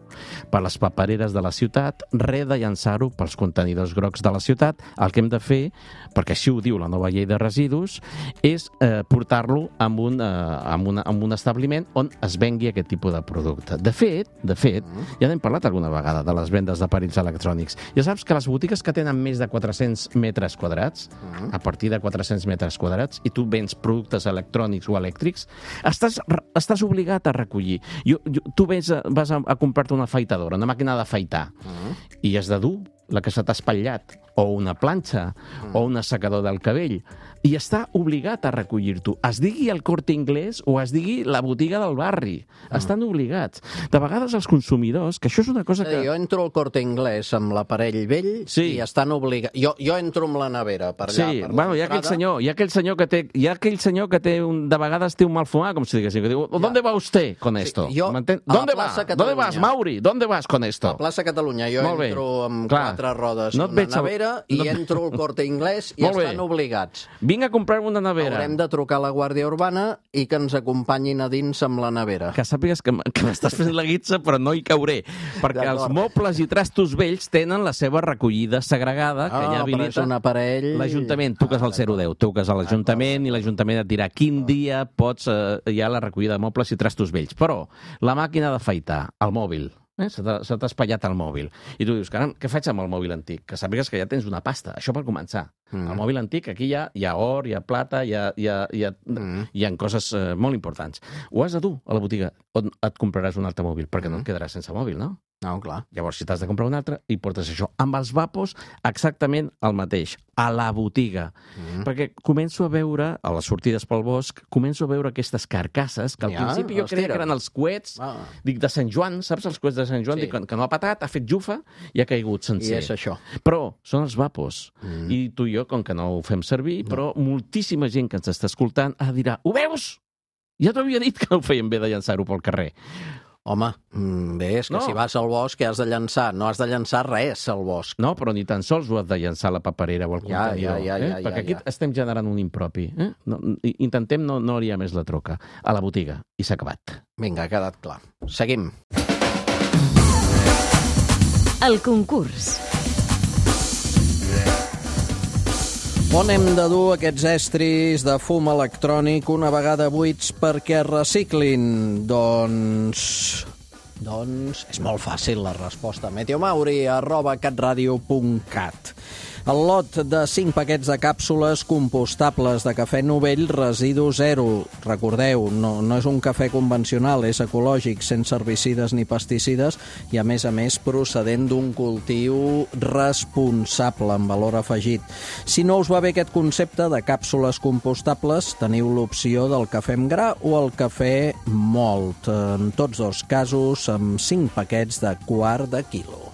per les papereres de la ciutat, res de llançar-ho pels contenidors grocs de la ciutat. El que hem de fer, perquè així ho diu la nova llei de residus, és portar-lo a un establiment on es vengui aquest tipus de producte. De fet, ja n'hem parlat alguna vegada de les vendes d'aparells electrònics. Ja saps que les botigues que tenen més de 400 metres quadrats, a partir de 400 metres quadrats, i tu vens productes electrònics o elèctrics, estàs obligat a recollir. Tu vas a comprar-te una afeitadora, una màquina d'afaitar, i has de dur la que se t'ha espatllat, o una planxa, o un assecador del cabell, i està obligat a recollir-t'ho. Es digui el Corte Inglés o es digui la botiga del barri. Estan obligats. De vegades els consumidors, que això és una cosa que... Jo entro al Corte Inglés amb l'aparell vell i estan obligats... Jo entro amb la nevera per allà. Sí, bueno, hi ha aquell senyor que té... De vegades té un mal fumar, com si diguéssim, que diu, ¿dónde va usted con esto? ¿Dónde vas, Mauri? ¿Dónde vas con esto? A Plaça Catalunya. Jo entro amb 4 rodes en una nevera i entro al Corte Inglés i estan obligats. Vinc a comprar una nevera. Haurem de trucar a la Guàrdia Urbana i que ens acompanyin a dins amb la nevera. Que sàpigues que m'estàs fent la guitza, però no hi cauré. Perquè els mobles i trastos vells tenen la seva recollida segregada, que ja habilita l'Ajuntament. Truques al 010, truques a l'Ajuntament i l'Ajuntament et dirà quin dia pots hi ha la recollida de mobles i trastos vells. Però la màquina d'afaitar, el mòbil, se t'ha espatllat el mòbil. I tu dius, caram, què faig amb el mòbil antic? Que sàpigues que ja tens una pasta. Això per començar. El mòbil antic, aquí hi ha or, hi ha plata, hi ha coses molt importants. Ho has de dur a la botiga on et compraràs un altre mòbil, perquè no et quedaràs sense mòbil, no? No, clar. Llavors, si t'has de comprar un altre, hi portes això. Amb els vapos, exactament el mateix, a la botiga. Perquè començo a veure, a les sortides pel bosc, començo a veure aquestes carcasses, que al principi jo creia que eren els coets, dic, de Sant Joan, saps els coets de Sant Joan? Dic, que no ha patat, ha fet jufa i ha caigut sencer. I és això. Però són els vapos. I tu i jo, com que no ho fem servir, però moltíssima gent que ens està escoltant dirà, ho veus? Ja t'havia dit que no ho feien bé de llançar-ho pel carrer. Home, bé, és que si vas al bosc, què has de llançar? No has de llançar res al bosc. No, però ni tan sols ho has de llançar a la paperera o al contenidor. Perquè aquí estem generant un impropi. Intentem no liar més la troca. A la botiga. I s'ha acabat. Vinga, ha quedat clar. Seguim. El concurs. On hem de dur aquests estris de fum electrònic una vegada buits perquè reciclin? Doncs és molt fàcil la resposta. meteomauri@catradio.cat. El lot de 5 paquets de càpsules compostables de cafè Novell residu zero. Recordeu, no és un cafè convencional, és ecològic, sense herbicides ni pesticides i, a més, procedent d'un cultiu responsable amb valor afegit. Si no us va bé aquest concepte de càpsules compostables, teniu l'opció del cafè amb gra o el cafè mòlt. En tots dos casos, amb 5 paquets de quart de quilo.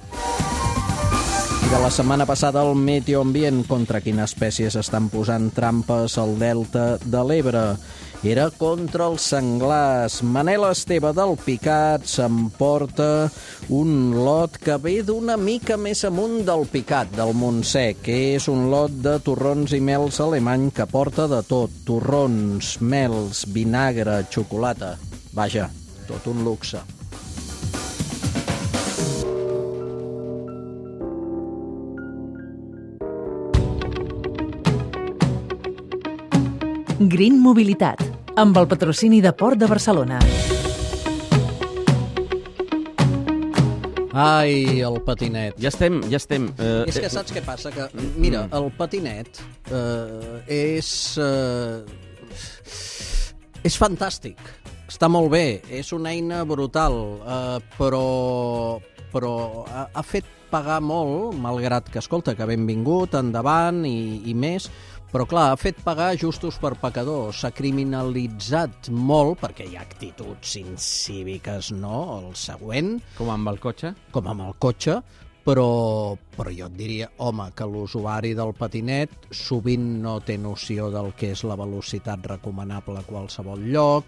I de la setmana passada el Meteo Ambient, contra quines espècies estan posant trampes al delta de l'Ebre. Era contra els senglars. Manel Esteve del Picat s'emporta un lot que ve d'una mica més amunt del Picat, del Montsec, que és un lot de torrons i mels alemany que porta de tot. Torrons, mels, vinagre, xocolata. Vaja, tot un luxe. Green Mobilitat, amb el patrocini de Port de Barcelona. Ai, el patinet. Ja estem. És que saps què passa? Que, mira, el patinet és fantàstic. Està molt bé, és una eina brutal, però ha fet pagar molt, malgrat que, escolta, que benvingut, endavant i més, però clar, ha fet pagar justos per pecadors, s'ha criminalitzat molt, perquè hi ha actituds incíviques, no? El següent... Com amb el cotxe? Com amb el cotxe, però jo et diria, home, que l'usuari del patinet sovint no té noció del que és la velocitat recomanable a qualsevol lloc,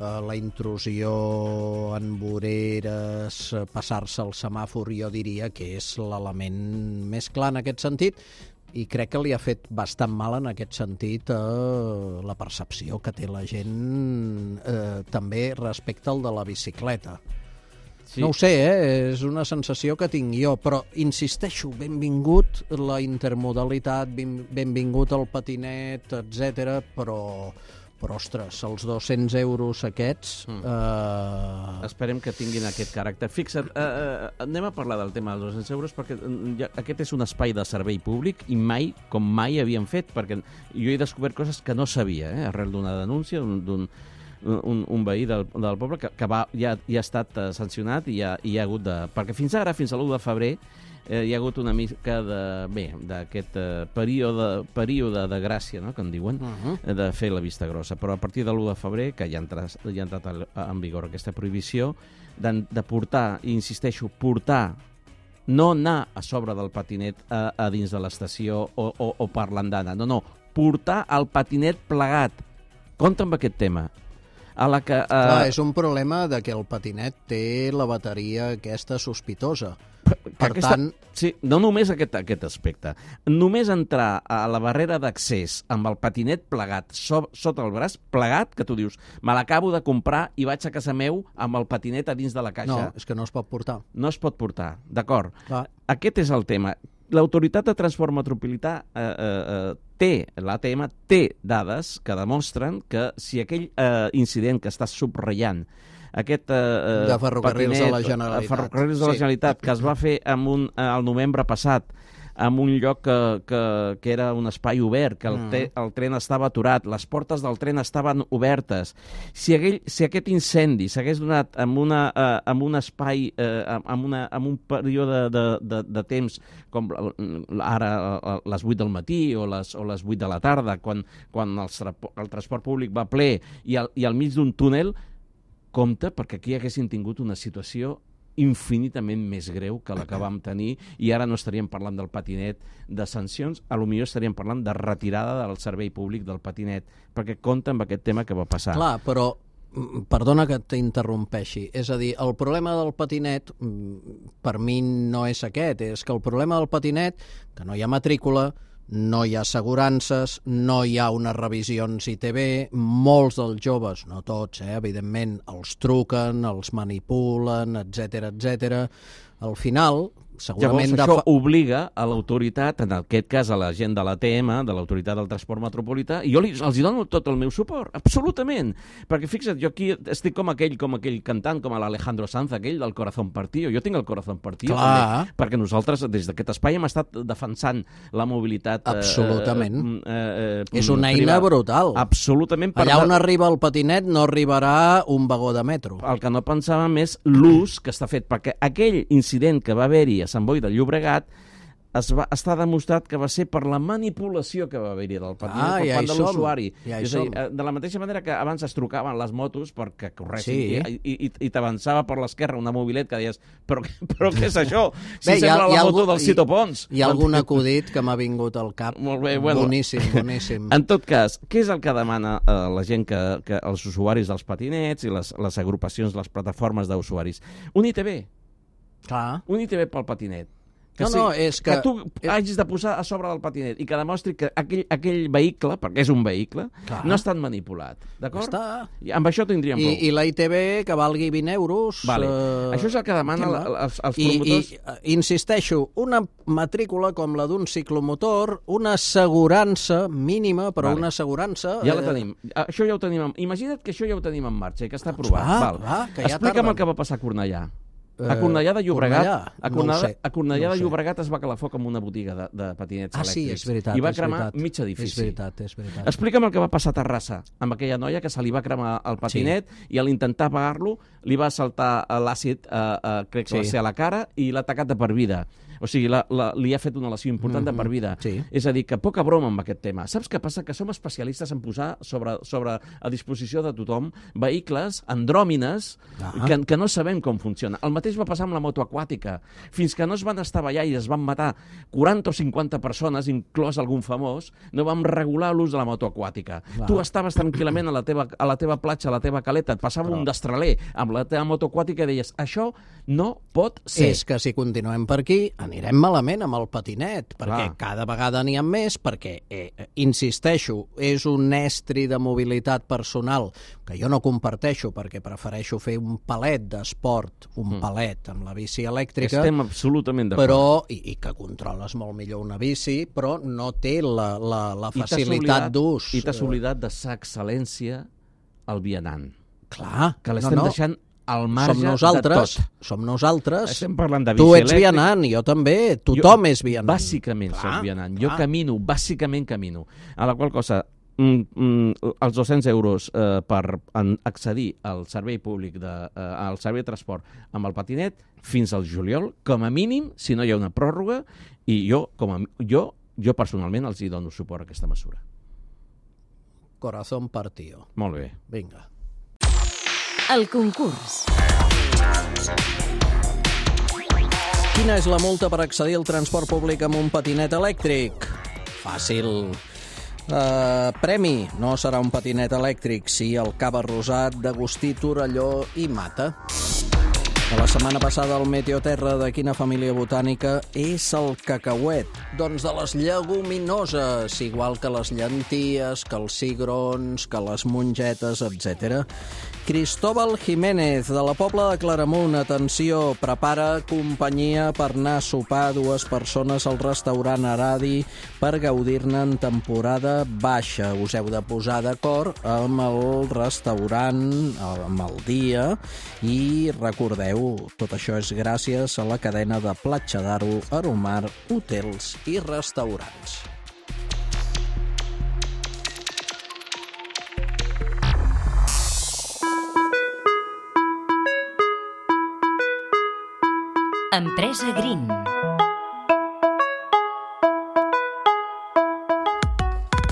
la intrusió en voreres, passar-se el semàfor, jo diria que és l'element més clar en aquest sentit, i crec que li ha fet bastant mal en aquest sentit la percepció que té la gent també respecte al de la bicicleta. Sí. No ho sé, és una sensació que tinc jo, però insisteixo, benvingut la intermodalitat, benvingut el patinet, etc. Però ostres, els 200 euros aquests... Esperem que tinguin aquest caràcter. Fixa't, anem a parlar del tema dels 200 euros perquè aquest és un espai de servei públic i mai havíem fet, perquè jo he descobert coses que no sabia, arrel d'una denúncia d'un veí del poble que ja ha estat sancionat i hi ha hagut de... Perquè fins ara, fins a l'1 de febrer, hi ha hagut una mica d'aquest període de gràcia, no?, que en diuen, de fer la vista grossa. Però a partir de l'1 de febrer, que ja ha entrat en vigor aquesta prohibició, de portar, i insisteixo, no anar a sobre del patinet a dins de l'estació o per l'andana, no, portar el patinet plegat. Compte amb aquest tema. Clar, és un problema de que el patinet té la bateria aquesta sospitosa. Per tant... Sí, no només aquest aspecte. Només entrar a la barrera d'accés amb el patinet plegat sota el braç, plegat, que tu dius, me l'acabo de comprar i vaig a casa meu amb el patinet a dins de la caixa. No, és que no es pot portar. No es pot portar, d'acord. Aquest és el tema. L'Autoritat de Transport Metropolità l'ATM té dades que demostren que si aquell incident que estàs subratllant, aquest de Ferrocarrils de la Generalitat. Ferrocarrils de la Generalitat, que es va fer al novembre passat, en un lloc que era un espai obert, que el tren estava aturat, les portes del tren estaven obertes. Si aquest incendi s'hagués donat en un espai, en un període de temps, com ara a les 8 del matí o les 8 de la tarda, quan el transport públic va ple i al mig d'un túnel, compte, perquè aquí haguessin tingut una situació infinitament més greu que la que vam tenir i ara no estaríem parlant del patinet de sancions, potser estaríem parlant de retirada del servei públic del patinet, perquè compta amb aquest tema que va passar. Clar, però perdona que t'interrompeixi, és a dir, el problema del patinet per mi no és aquest, és que el problema del patinet, que no hi ha matrícula, no hi ha assegurances, no hi ha unes revisions ITV, molts dels joves, no tots, evidentment, els truquen, els manipulen, etc. Al final, segurament... Llavors, això obliga a l'autoritat, en aquest cas a la gent de l'ATM, de l'Autoritat del Transport Metropolità, i jo els hi dono tot el meu suport, absolutament. Perquè fixa't, jo aquí estic com aquell cantant, com l'Alejandro Sanz, aquell del Corazón Partido. Jo tinc el Corazón Partido, també, perquè nosaltres, des d'aquest espai, hem estat defensant la mobilitat... Absolutament. És una eina brutal. Absolutament. Allà on arriba el patinet no arribarà un vagó de metro. El que no pensàvem és l'ús que està fet, perquè aquell incident que va haver-hi a Sant Boi de Llobregat està demostrat que va ser per la manipulació que va haver-hi del patinet per part de l'usuari. És a dir, de la mateixa manera que abans es trucaven les motos perquè corressin i t'avançava per l'esquerra una mobilet que deies, però què és això? Si sembla la moto del Cito Pons. Hi ha algun acudit que m'ha vingut al cap. Molt bé, bueno. Boníssim. En tot cas, què és el que demana la gent, que els usuaris dels patinets i les agrupacions, les plataformes d'usuaris? Un ITV. Clar. Un ITV pel patinet. És que tu hagis de posar a sobre del patinet i que demostri que aquell vehicle, perquè és un vehicle, no ha estat manipulat. D'acord? I amb això tindríem prou. I la ITV que valgui 20 euros... Vale. Això és el que demana els promotors. I insisteixo, una matrícula com la d'un ciclomotor, una assegurança mínima, però una assegurança... Ja la tenim. Això ja ho tenim. Imagina't que això ja ho tenim en marxa i que està aprovat. Explica'm el que va passar a Cornellà. A Cornellà de Llobregat, a Cornellà de Llobregat es va calar foc amb una botiga de patinets elèctrics. Sí, és veritat. I va cremar mig edifici. És veritat. Explica'm el que va passar a Terrassa amb aquella noia que se li va cremar el patinet i a l'intentar apagar-lo li va saltar l'àcid, crec que va ser a la cara, i l'ha atacat de per vida. O sigui, li ha fet una lesió important de per vida. És a dir, que poca broma amb aquest tema. Saps què passa? Que som especialistes en posar sobre a disposició de tothom vehicles andròmines que no sabem com funciona. El mateix va passar amb la moto aquàtica. Fins que no es van estavellar i es van matar 40 o 50 persones, inclòs algun famós, no vam regular l'ús de la moto aquàtica. Tu estaves tranquil·lament a la teva platja, a la teva caleta, et passava un destraler amb la teva moto aquàtica i deies, això no pot ser. És que si continuem per aquí anirem malament amb el patinet, perquè cada vegada n'hi ha més, perquè, insisteixo, és un estri de mobilitat personal que jo no comparteixo, perquè prefereixo fer un palet d'esport, un palet amb la bici elèctrica. Estem absolutament d'acord. Però, i que controles molt millor una bici, però no té la facilitat d'ús. I t'has oblidat de sa excel·lència al vianant. Clar. Que l'estem deixant al marge Som nosaltres. Estem parlant de bici elèctrica. Tu ets vianant, jo també. Tothom és vianant. Bàsicament soc vianant. Jo bàsicament camino. A la qual cosa, els 200 euros per accedir al servei públic, al servei de transport amb el patinet, fins al juliol, com a mínim, si no hi ha una pròrroga, i jo personalment els hi dono suport a aquesta mesura. Corazón partido. Molt bé. Vinga. El concurs. Quina és la multa per accedir al transport públic amb un patinet elèctric? Fàcil. Premi. No serà un patinet elèctric, sí el cava rosat d'Agustí Torelló i Mata. De la setmana passada el Meteoterra de quina família botànica és el cacauet? Doncs de les lleguminoses, igual que les llenties, que els cigrons, que les mongetes, etc. Cristóbal Jiménez, de la Pobla de Claramunt, atenció, prepara companyia per anar a sopar dues persones al restaurant Aradi per gaudir-ne en temporada baixa. Us heu de posar d'acord amb el restaurant, amb el dia, i recordeu, tot això és gràcies a la cadena de Platja d'Aro, Aromar, hotels i restaurants. Empresa Green.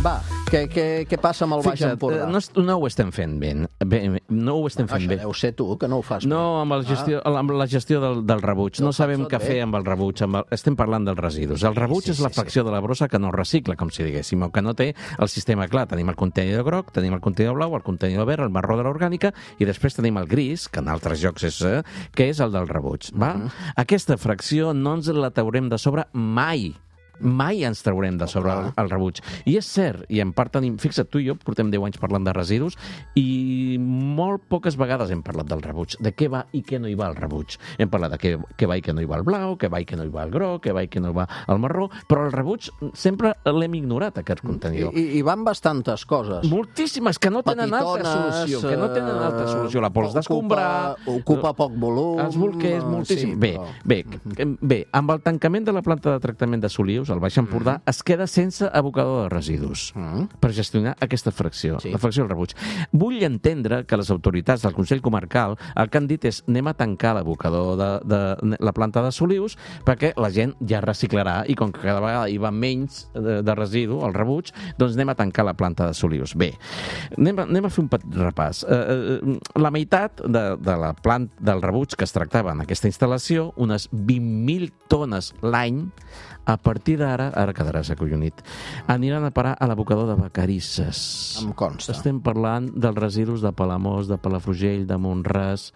Va, què passa amb el Baix Empordà? No ho estem fent bé. No ho estem fent bé. Això deu ser tu, que no ho fas bé. No, amb la gestió del rebuig. No sabem què fer amb el rebuig. Estem parlant dels residus. El rebuig és la fracció de la brossa que no recicla, com si diguéssim, o que no té el sistema clar. Tenim el contenidor groc, tenim el contenidor blau, el contenidor verd, el marró de l'orgànica, i després tenim el gris, que en altres llocs és que és el del rebuig. Aquesta fracció no ens la traurem de sobre mai. mai ens traurem de sobre el rebuig. I és cert, i en part tenim... Fixa't, tu i jo portem 10 anys parlant de residus i molt poques vegades hem parlat del rebuig, de què va i què no hi va al rebuig. Hem parlat de què va i què no hi va al blau, què va i què no hi va al groc, què va i què no hi va al marró, però el rebuig sempre l'hem ignorat, aquest contenidor. I van bastantes coses. Moltíssimes, que no tenen altra solució, que no tenen altra solució. La pols d'escombrar... Ocupa poc volum... Els bolquers, moltíssim. Sí, Bé, amb el tancament de la planta de tractament de Solius, al Baix Empordà, es queda sense abocador de residus per gestionar aquesta fracció, la fracció del rebuig. Vull entendre que les autoritats del Consell Comarcal el que han dit és anem a tancar l'abocador de la planta de Solius perquè la gent ja reciclarà i com que cada vegada hi va menys de residu, el rebuig, doncs anem a tancar la planta de Solius. Bé, anem a fer un petit repàs. La meitat de la planta del rebuig que es tractava en aquesta instal·lació, unes 20.000 tones l'any, a partir d'ara, ara quedaràs acollonit, aniran a parar a l'abocador de Vacarisses. Em consta. Estem parlant dels residus de Palamós, de Palafrugell, de Mont-ras,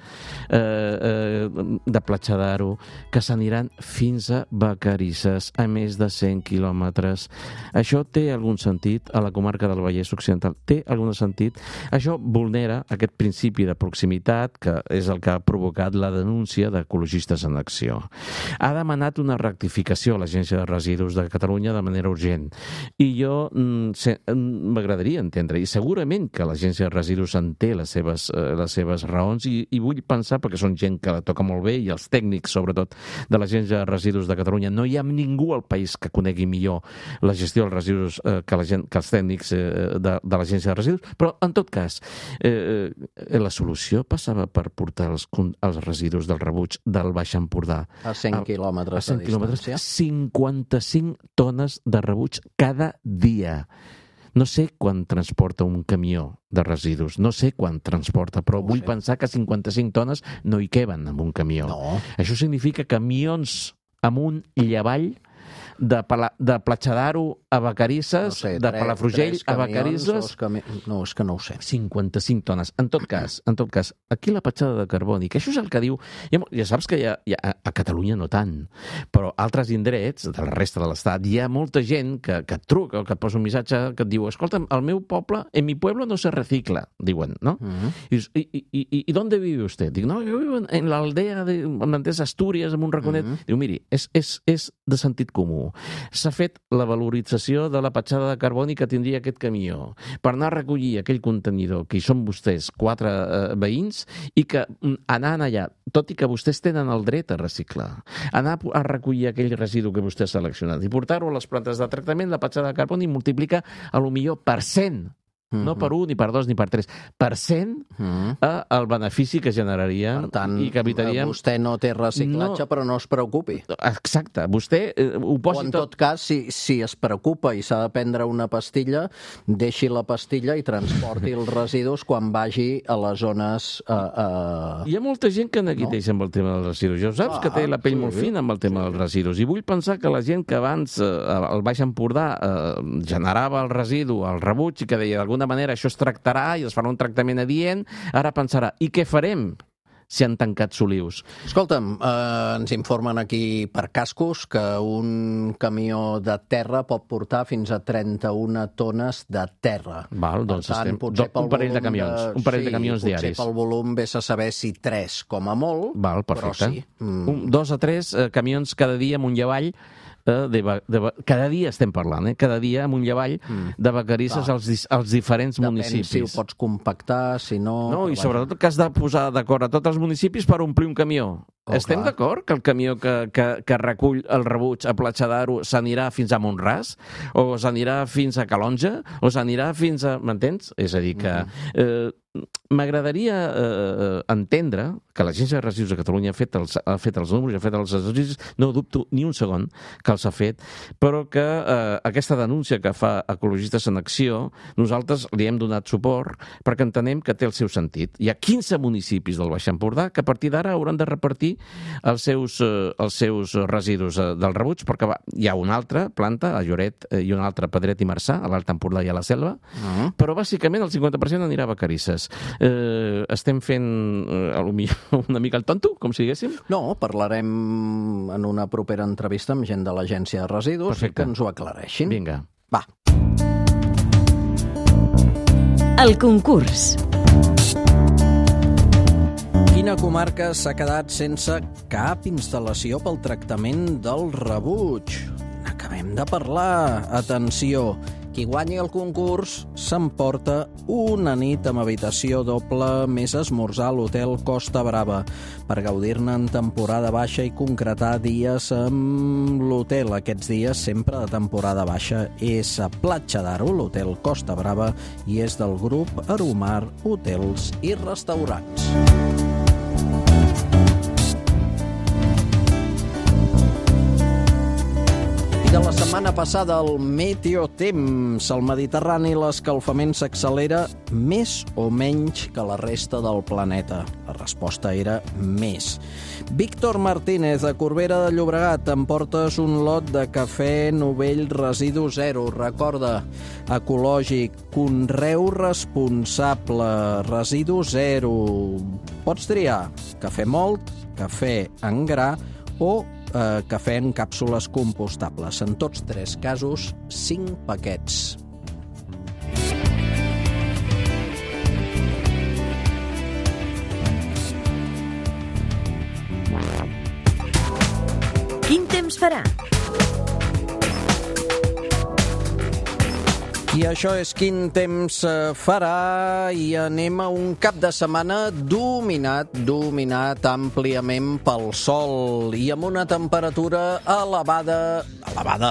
de Platja d'Aro, que s'aniran fins a Vacarisses, a més de 100 quilòmetres. Això té algun sentit a la comarca del Vallès Occidental? Té algun sentit? Això vulnera aquest principi de proximitat, que és el que ha provocat la denúncia d'Ecologistes en Acció. Ha demanat una rectificació a l'Agència de Residus de Catalunya de manera urgent. I jo m'agradaria entendre, i segurament que l'Agència de Residus en té les seves raons, i vull pensar, perquè són gent que la toca molt bé, i els tècnics, sobretot, de l'Agència de Residus de Catalunya, no hi ha ningú al país que conegui millor la gestió dels residus que els tècnics de l'Agència de Residus, però, en tot cas, la solució passava per portar els residus del rebuig del Baix Empordà a 100 quilòmetres de distància. 55 tones de rebuig cada dia. No sé quan transporta un camió de residus, no sé quan transporta, però vull pensar que 55 tones no hi queben en un camió. No. Això significa camions amunt i avall de Platja d'Aro a Vacarisses, de Palafrugell a Vacarisses... No, és que no ho sé. 55 tones. En tot cas, aquí la petjada de carboni, que això és el que diu... Ja saps que a Catalunya no tant, però altres indrets de la resta de l'Estat hi ha molta gent que et truca o que et posa un missatge que et diu escolta, al meu poble, en mi pueblo no se recicla, diuen, no? ¿Y dónde vive usted? Dic, no, yo vivo en la aldea de Astúries, en un raconet. Diu, miri, és de sentit comú. S'ha fet la valorització de la petjada de carboni que tindria aquest camió per anar a recollir aquell contenidor que hi són vostès 4 veïns i que anant allà, tot i que vostès tenen el dret a reciclar, anar a recollir aquell residu que vostè ha seleccionat i portar-ho a les plantes de tractament, la petjada de carboni multiplica a lo millor per 100. No per 1, ni per 2, ni per 3. Per 100 el benefici que generaríem. Per tant, i que evitaríem... vostè no té reciclatge, però no es preocupi. Exacte. Vostè ho posi o en tot cas, si es preocupa i s'ha de prendre una pastilla, deixi la pastilla i transporti els residus quan vagi a les zones... Hi ha molta gent que neguiteja amb el tema dels residus. Ja ho saps, que té la pell molt fina amb el tema dels residus. I vull pensar que la gent que abans al Baix Empordà generava el residu, el rebuig, i que deia d'alguna manera això es tractarà i es farà un tractament adient, ara pensarà, i què farem si han tancat Solius? Escolta'm, ens informen aquí per cascos que un camió de terra pot portar fins a 31 tones de terra. Val, doncs un parell de camions, de camions diaris. Potser pel volum vés a saber si 3 com a molt, val, perfecte. Però sí. 2 a 3 camions cada dia amunt i avall. Cada dia estem parlant, cada dia amunt i avall de Vacarisses als diferents municipis. Depèn si ho pots compactar, si no... No, i sobretot que has de posar d'acord a tots els municipis per omplir un camió. Estem d'acord que el camió que recull el rebuig a Platja d'Aro s'anirà fins a Mont-ras? O s'anirà fins a Calonja? O s'anirà fins a... M'entens? És a dir, que... M'agradaria entendre que l'Agència de Residus de Catalunya ha fet els números, ha fet els exercicis, no dubto ni un segon que els ha fet, però que aquesta denúncia que fa Ecologistes en Acció, nosaltres li hem donat suport perquè entenem que té el seu sentit. Hi ha 15 municipis del Baix Empordà que a partir d'ara hauran de repartir els seus residus del rebuig, perquè hi ha una altra planta, a Lloret, i una altra a Pedret i Marçà, a l'Alt Empordà i a la Selva, però bàsicament el 50% anirà a Vacarisses. Estem fent una mica el tonto, com si diguéssim? No, parlarem en una propera entrevista amb gent de l'Agència de Residus. Perfecte. Que ens ho aclareixin. Vinga. Va. El concurs. Quina comarca s'ha quedat sense cap instal·lació pel tractament del rebuig? N'acabem de parlar. Atenció, qui guanyi el concurs s'emporta una nit amb habitació doble més esmorzar a l'hotel Costa Brava per gaudir-ne en temporada baixa i concretar dies amb l'hotel. Aquests dies sempre de temporada baixa és a Platja d'Aro, l'hotel Costa Brava, i és del grup Aromar Hotels i Restaurants. De la setmana passada, el meteotemps. Al Mediterrani l'escalfament s'accelera més o menys que la resta del planeta. La resposta era més. Víctor Martínez, de Corbera de Llobregat, em portes un lot de cafè novell residu zero. Recorda, ecològic, conreu responsable, residu zero. Pots triar cafè mòlt, cafè en gra o cafè en càpsules compostables. En tots tres casos, 5 paquets. Quin temps farà? I això és Quin temps farà, i anem a un cap de setmana dominat àmpliament pel sol i amb una temperatura elevada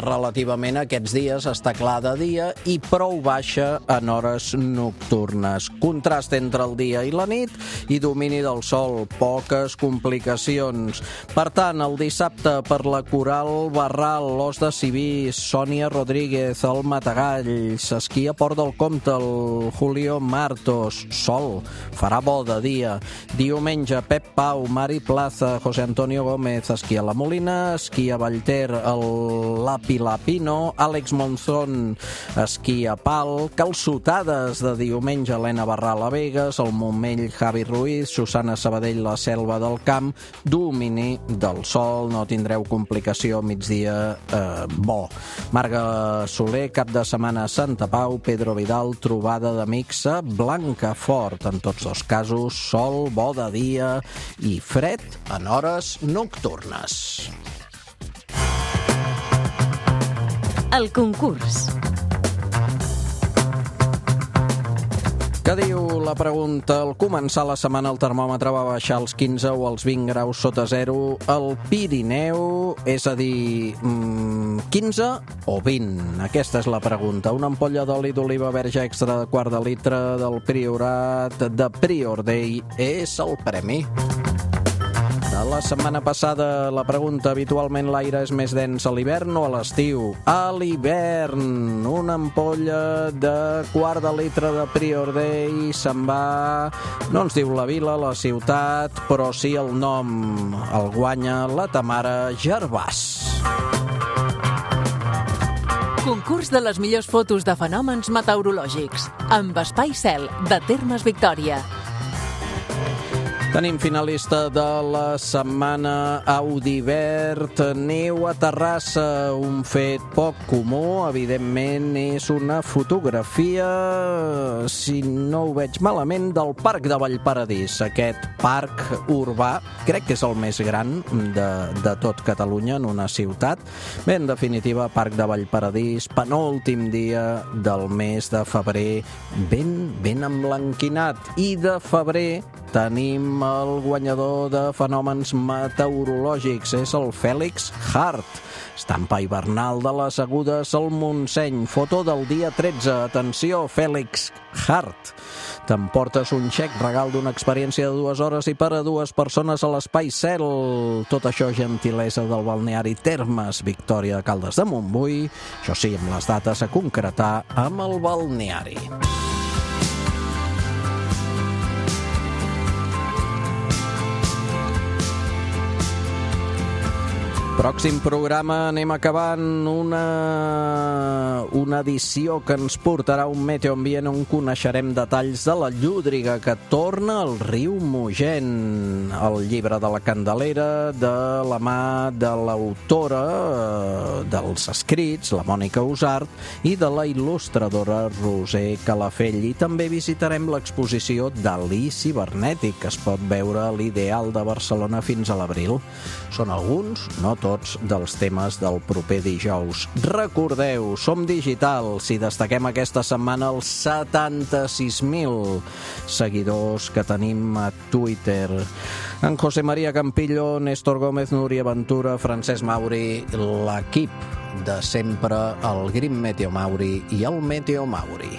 relativament aquests dies. Està clar de dia i prou baixa en hores nocturnes. Contrast entre el dia i la nit i domini del sol, poques complicacions. Per tant, el dissabte per la Coral Barral, l'Os de Civís, Sònia Rodríguez, el Matagalls, esquí a Port del Comte, el Julio Martos, sol, farà bo de dia. Diumenge, Pep Pau, Mari Plaza, José Antonio Gómez, esquí a la Molina, esquí a Vallter, el Lapi Lapino, Àlex Monzón, esquí a Pal, calçotades de diumenge, Helena Barral a Begues, el Montmell, Javi Ruiz, Susana Sabadell, la Selva del Camp, domini del sol, no tindreu complicació, migdia bo. Marga Soler, cap de setmana a Santa Pau, Pedro Vidal, trobada d'amics a Blancafort. En tots dos casos, sol, bo de dia i fred en hores nocturnes. El concurs. Què diu la pregunta? Al començar la setmana el termòmetre va baixar als 15 o als 20 graus sota zero al Pirineu, és a dir, 15 o 20? Aquesta és la pregunta. Una ampolla d'oli d'oliva verge extra de quart de litre del Priorat de Prior Day és el premi. De la setmana passada, la pregunta: habitualment l'aire és més dens a l'hivern o a l'estiu? A l'hivern. Una ampolla de quart de litre de Prior Day se'n va, no ens diu la vila, la ciutat, però sí el nom. El guanya la Tamara Gervàs. Concurs de les millors fotos de fenòmens meteorològics amb Espai Cel, de Termes Victòria. Tenim finalista de la setmana, Audivert, neu a Terrassa, un fet poc comú, evidentment és una fotografia, si no ho veig malament, del Parc de Vallparadís. Aquest parc urbà, crec que és el més gran de tot Catalunya en una ciutat. Bé, en definitiva, Parc de Vallparadís, penúltim dia del mes de febrer, ben emblanquinat. I de febrer tenim el guanyador de fenòmens meteorològics, és el Fèlix Hart. Estampa hivernal de les Agudes al Montseny, foto del dia 13. Atenció, Fèlix Hart. T'emportes un xec regal d'una experiència de 2 hores i per a 2 persones a l'Espai Cel. Tot això gentilesa del balneari Termes Victòria de Caldes de Montbui. Això sí, amb les dates a concretar amb el balneari. Pròxim programa anem acabant una edició que ens portarà un Meteo Ambient on coneixerem detalls de la llúdriga que torna al riu Mogent, el llibre de la Candelera de la mà de l'autora dels escrits, la Mònica Usart, i de la il·lustradora Roser Calafell. I també visitarem l'exposició Dalí cibernètic, que es pot veure a l'Ideal de Barcelona fins a l'abril. Són alguns, no tots, dels temes del proper dijous. Recordeu, som digitals i destaquem aquesta setmana els 76.000 seguidors que tenim a Twitter. En José María Campillo, Néstor Gómez, Núria Ventura, Francesc Mauri, l'equip de sempre, el Green Meteo Mauri i el Meteo Mauri.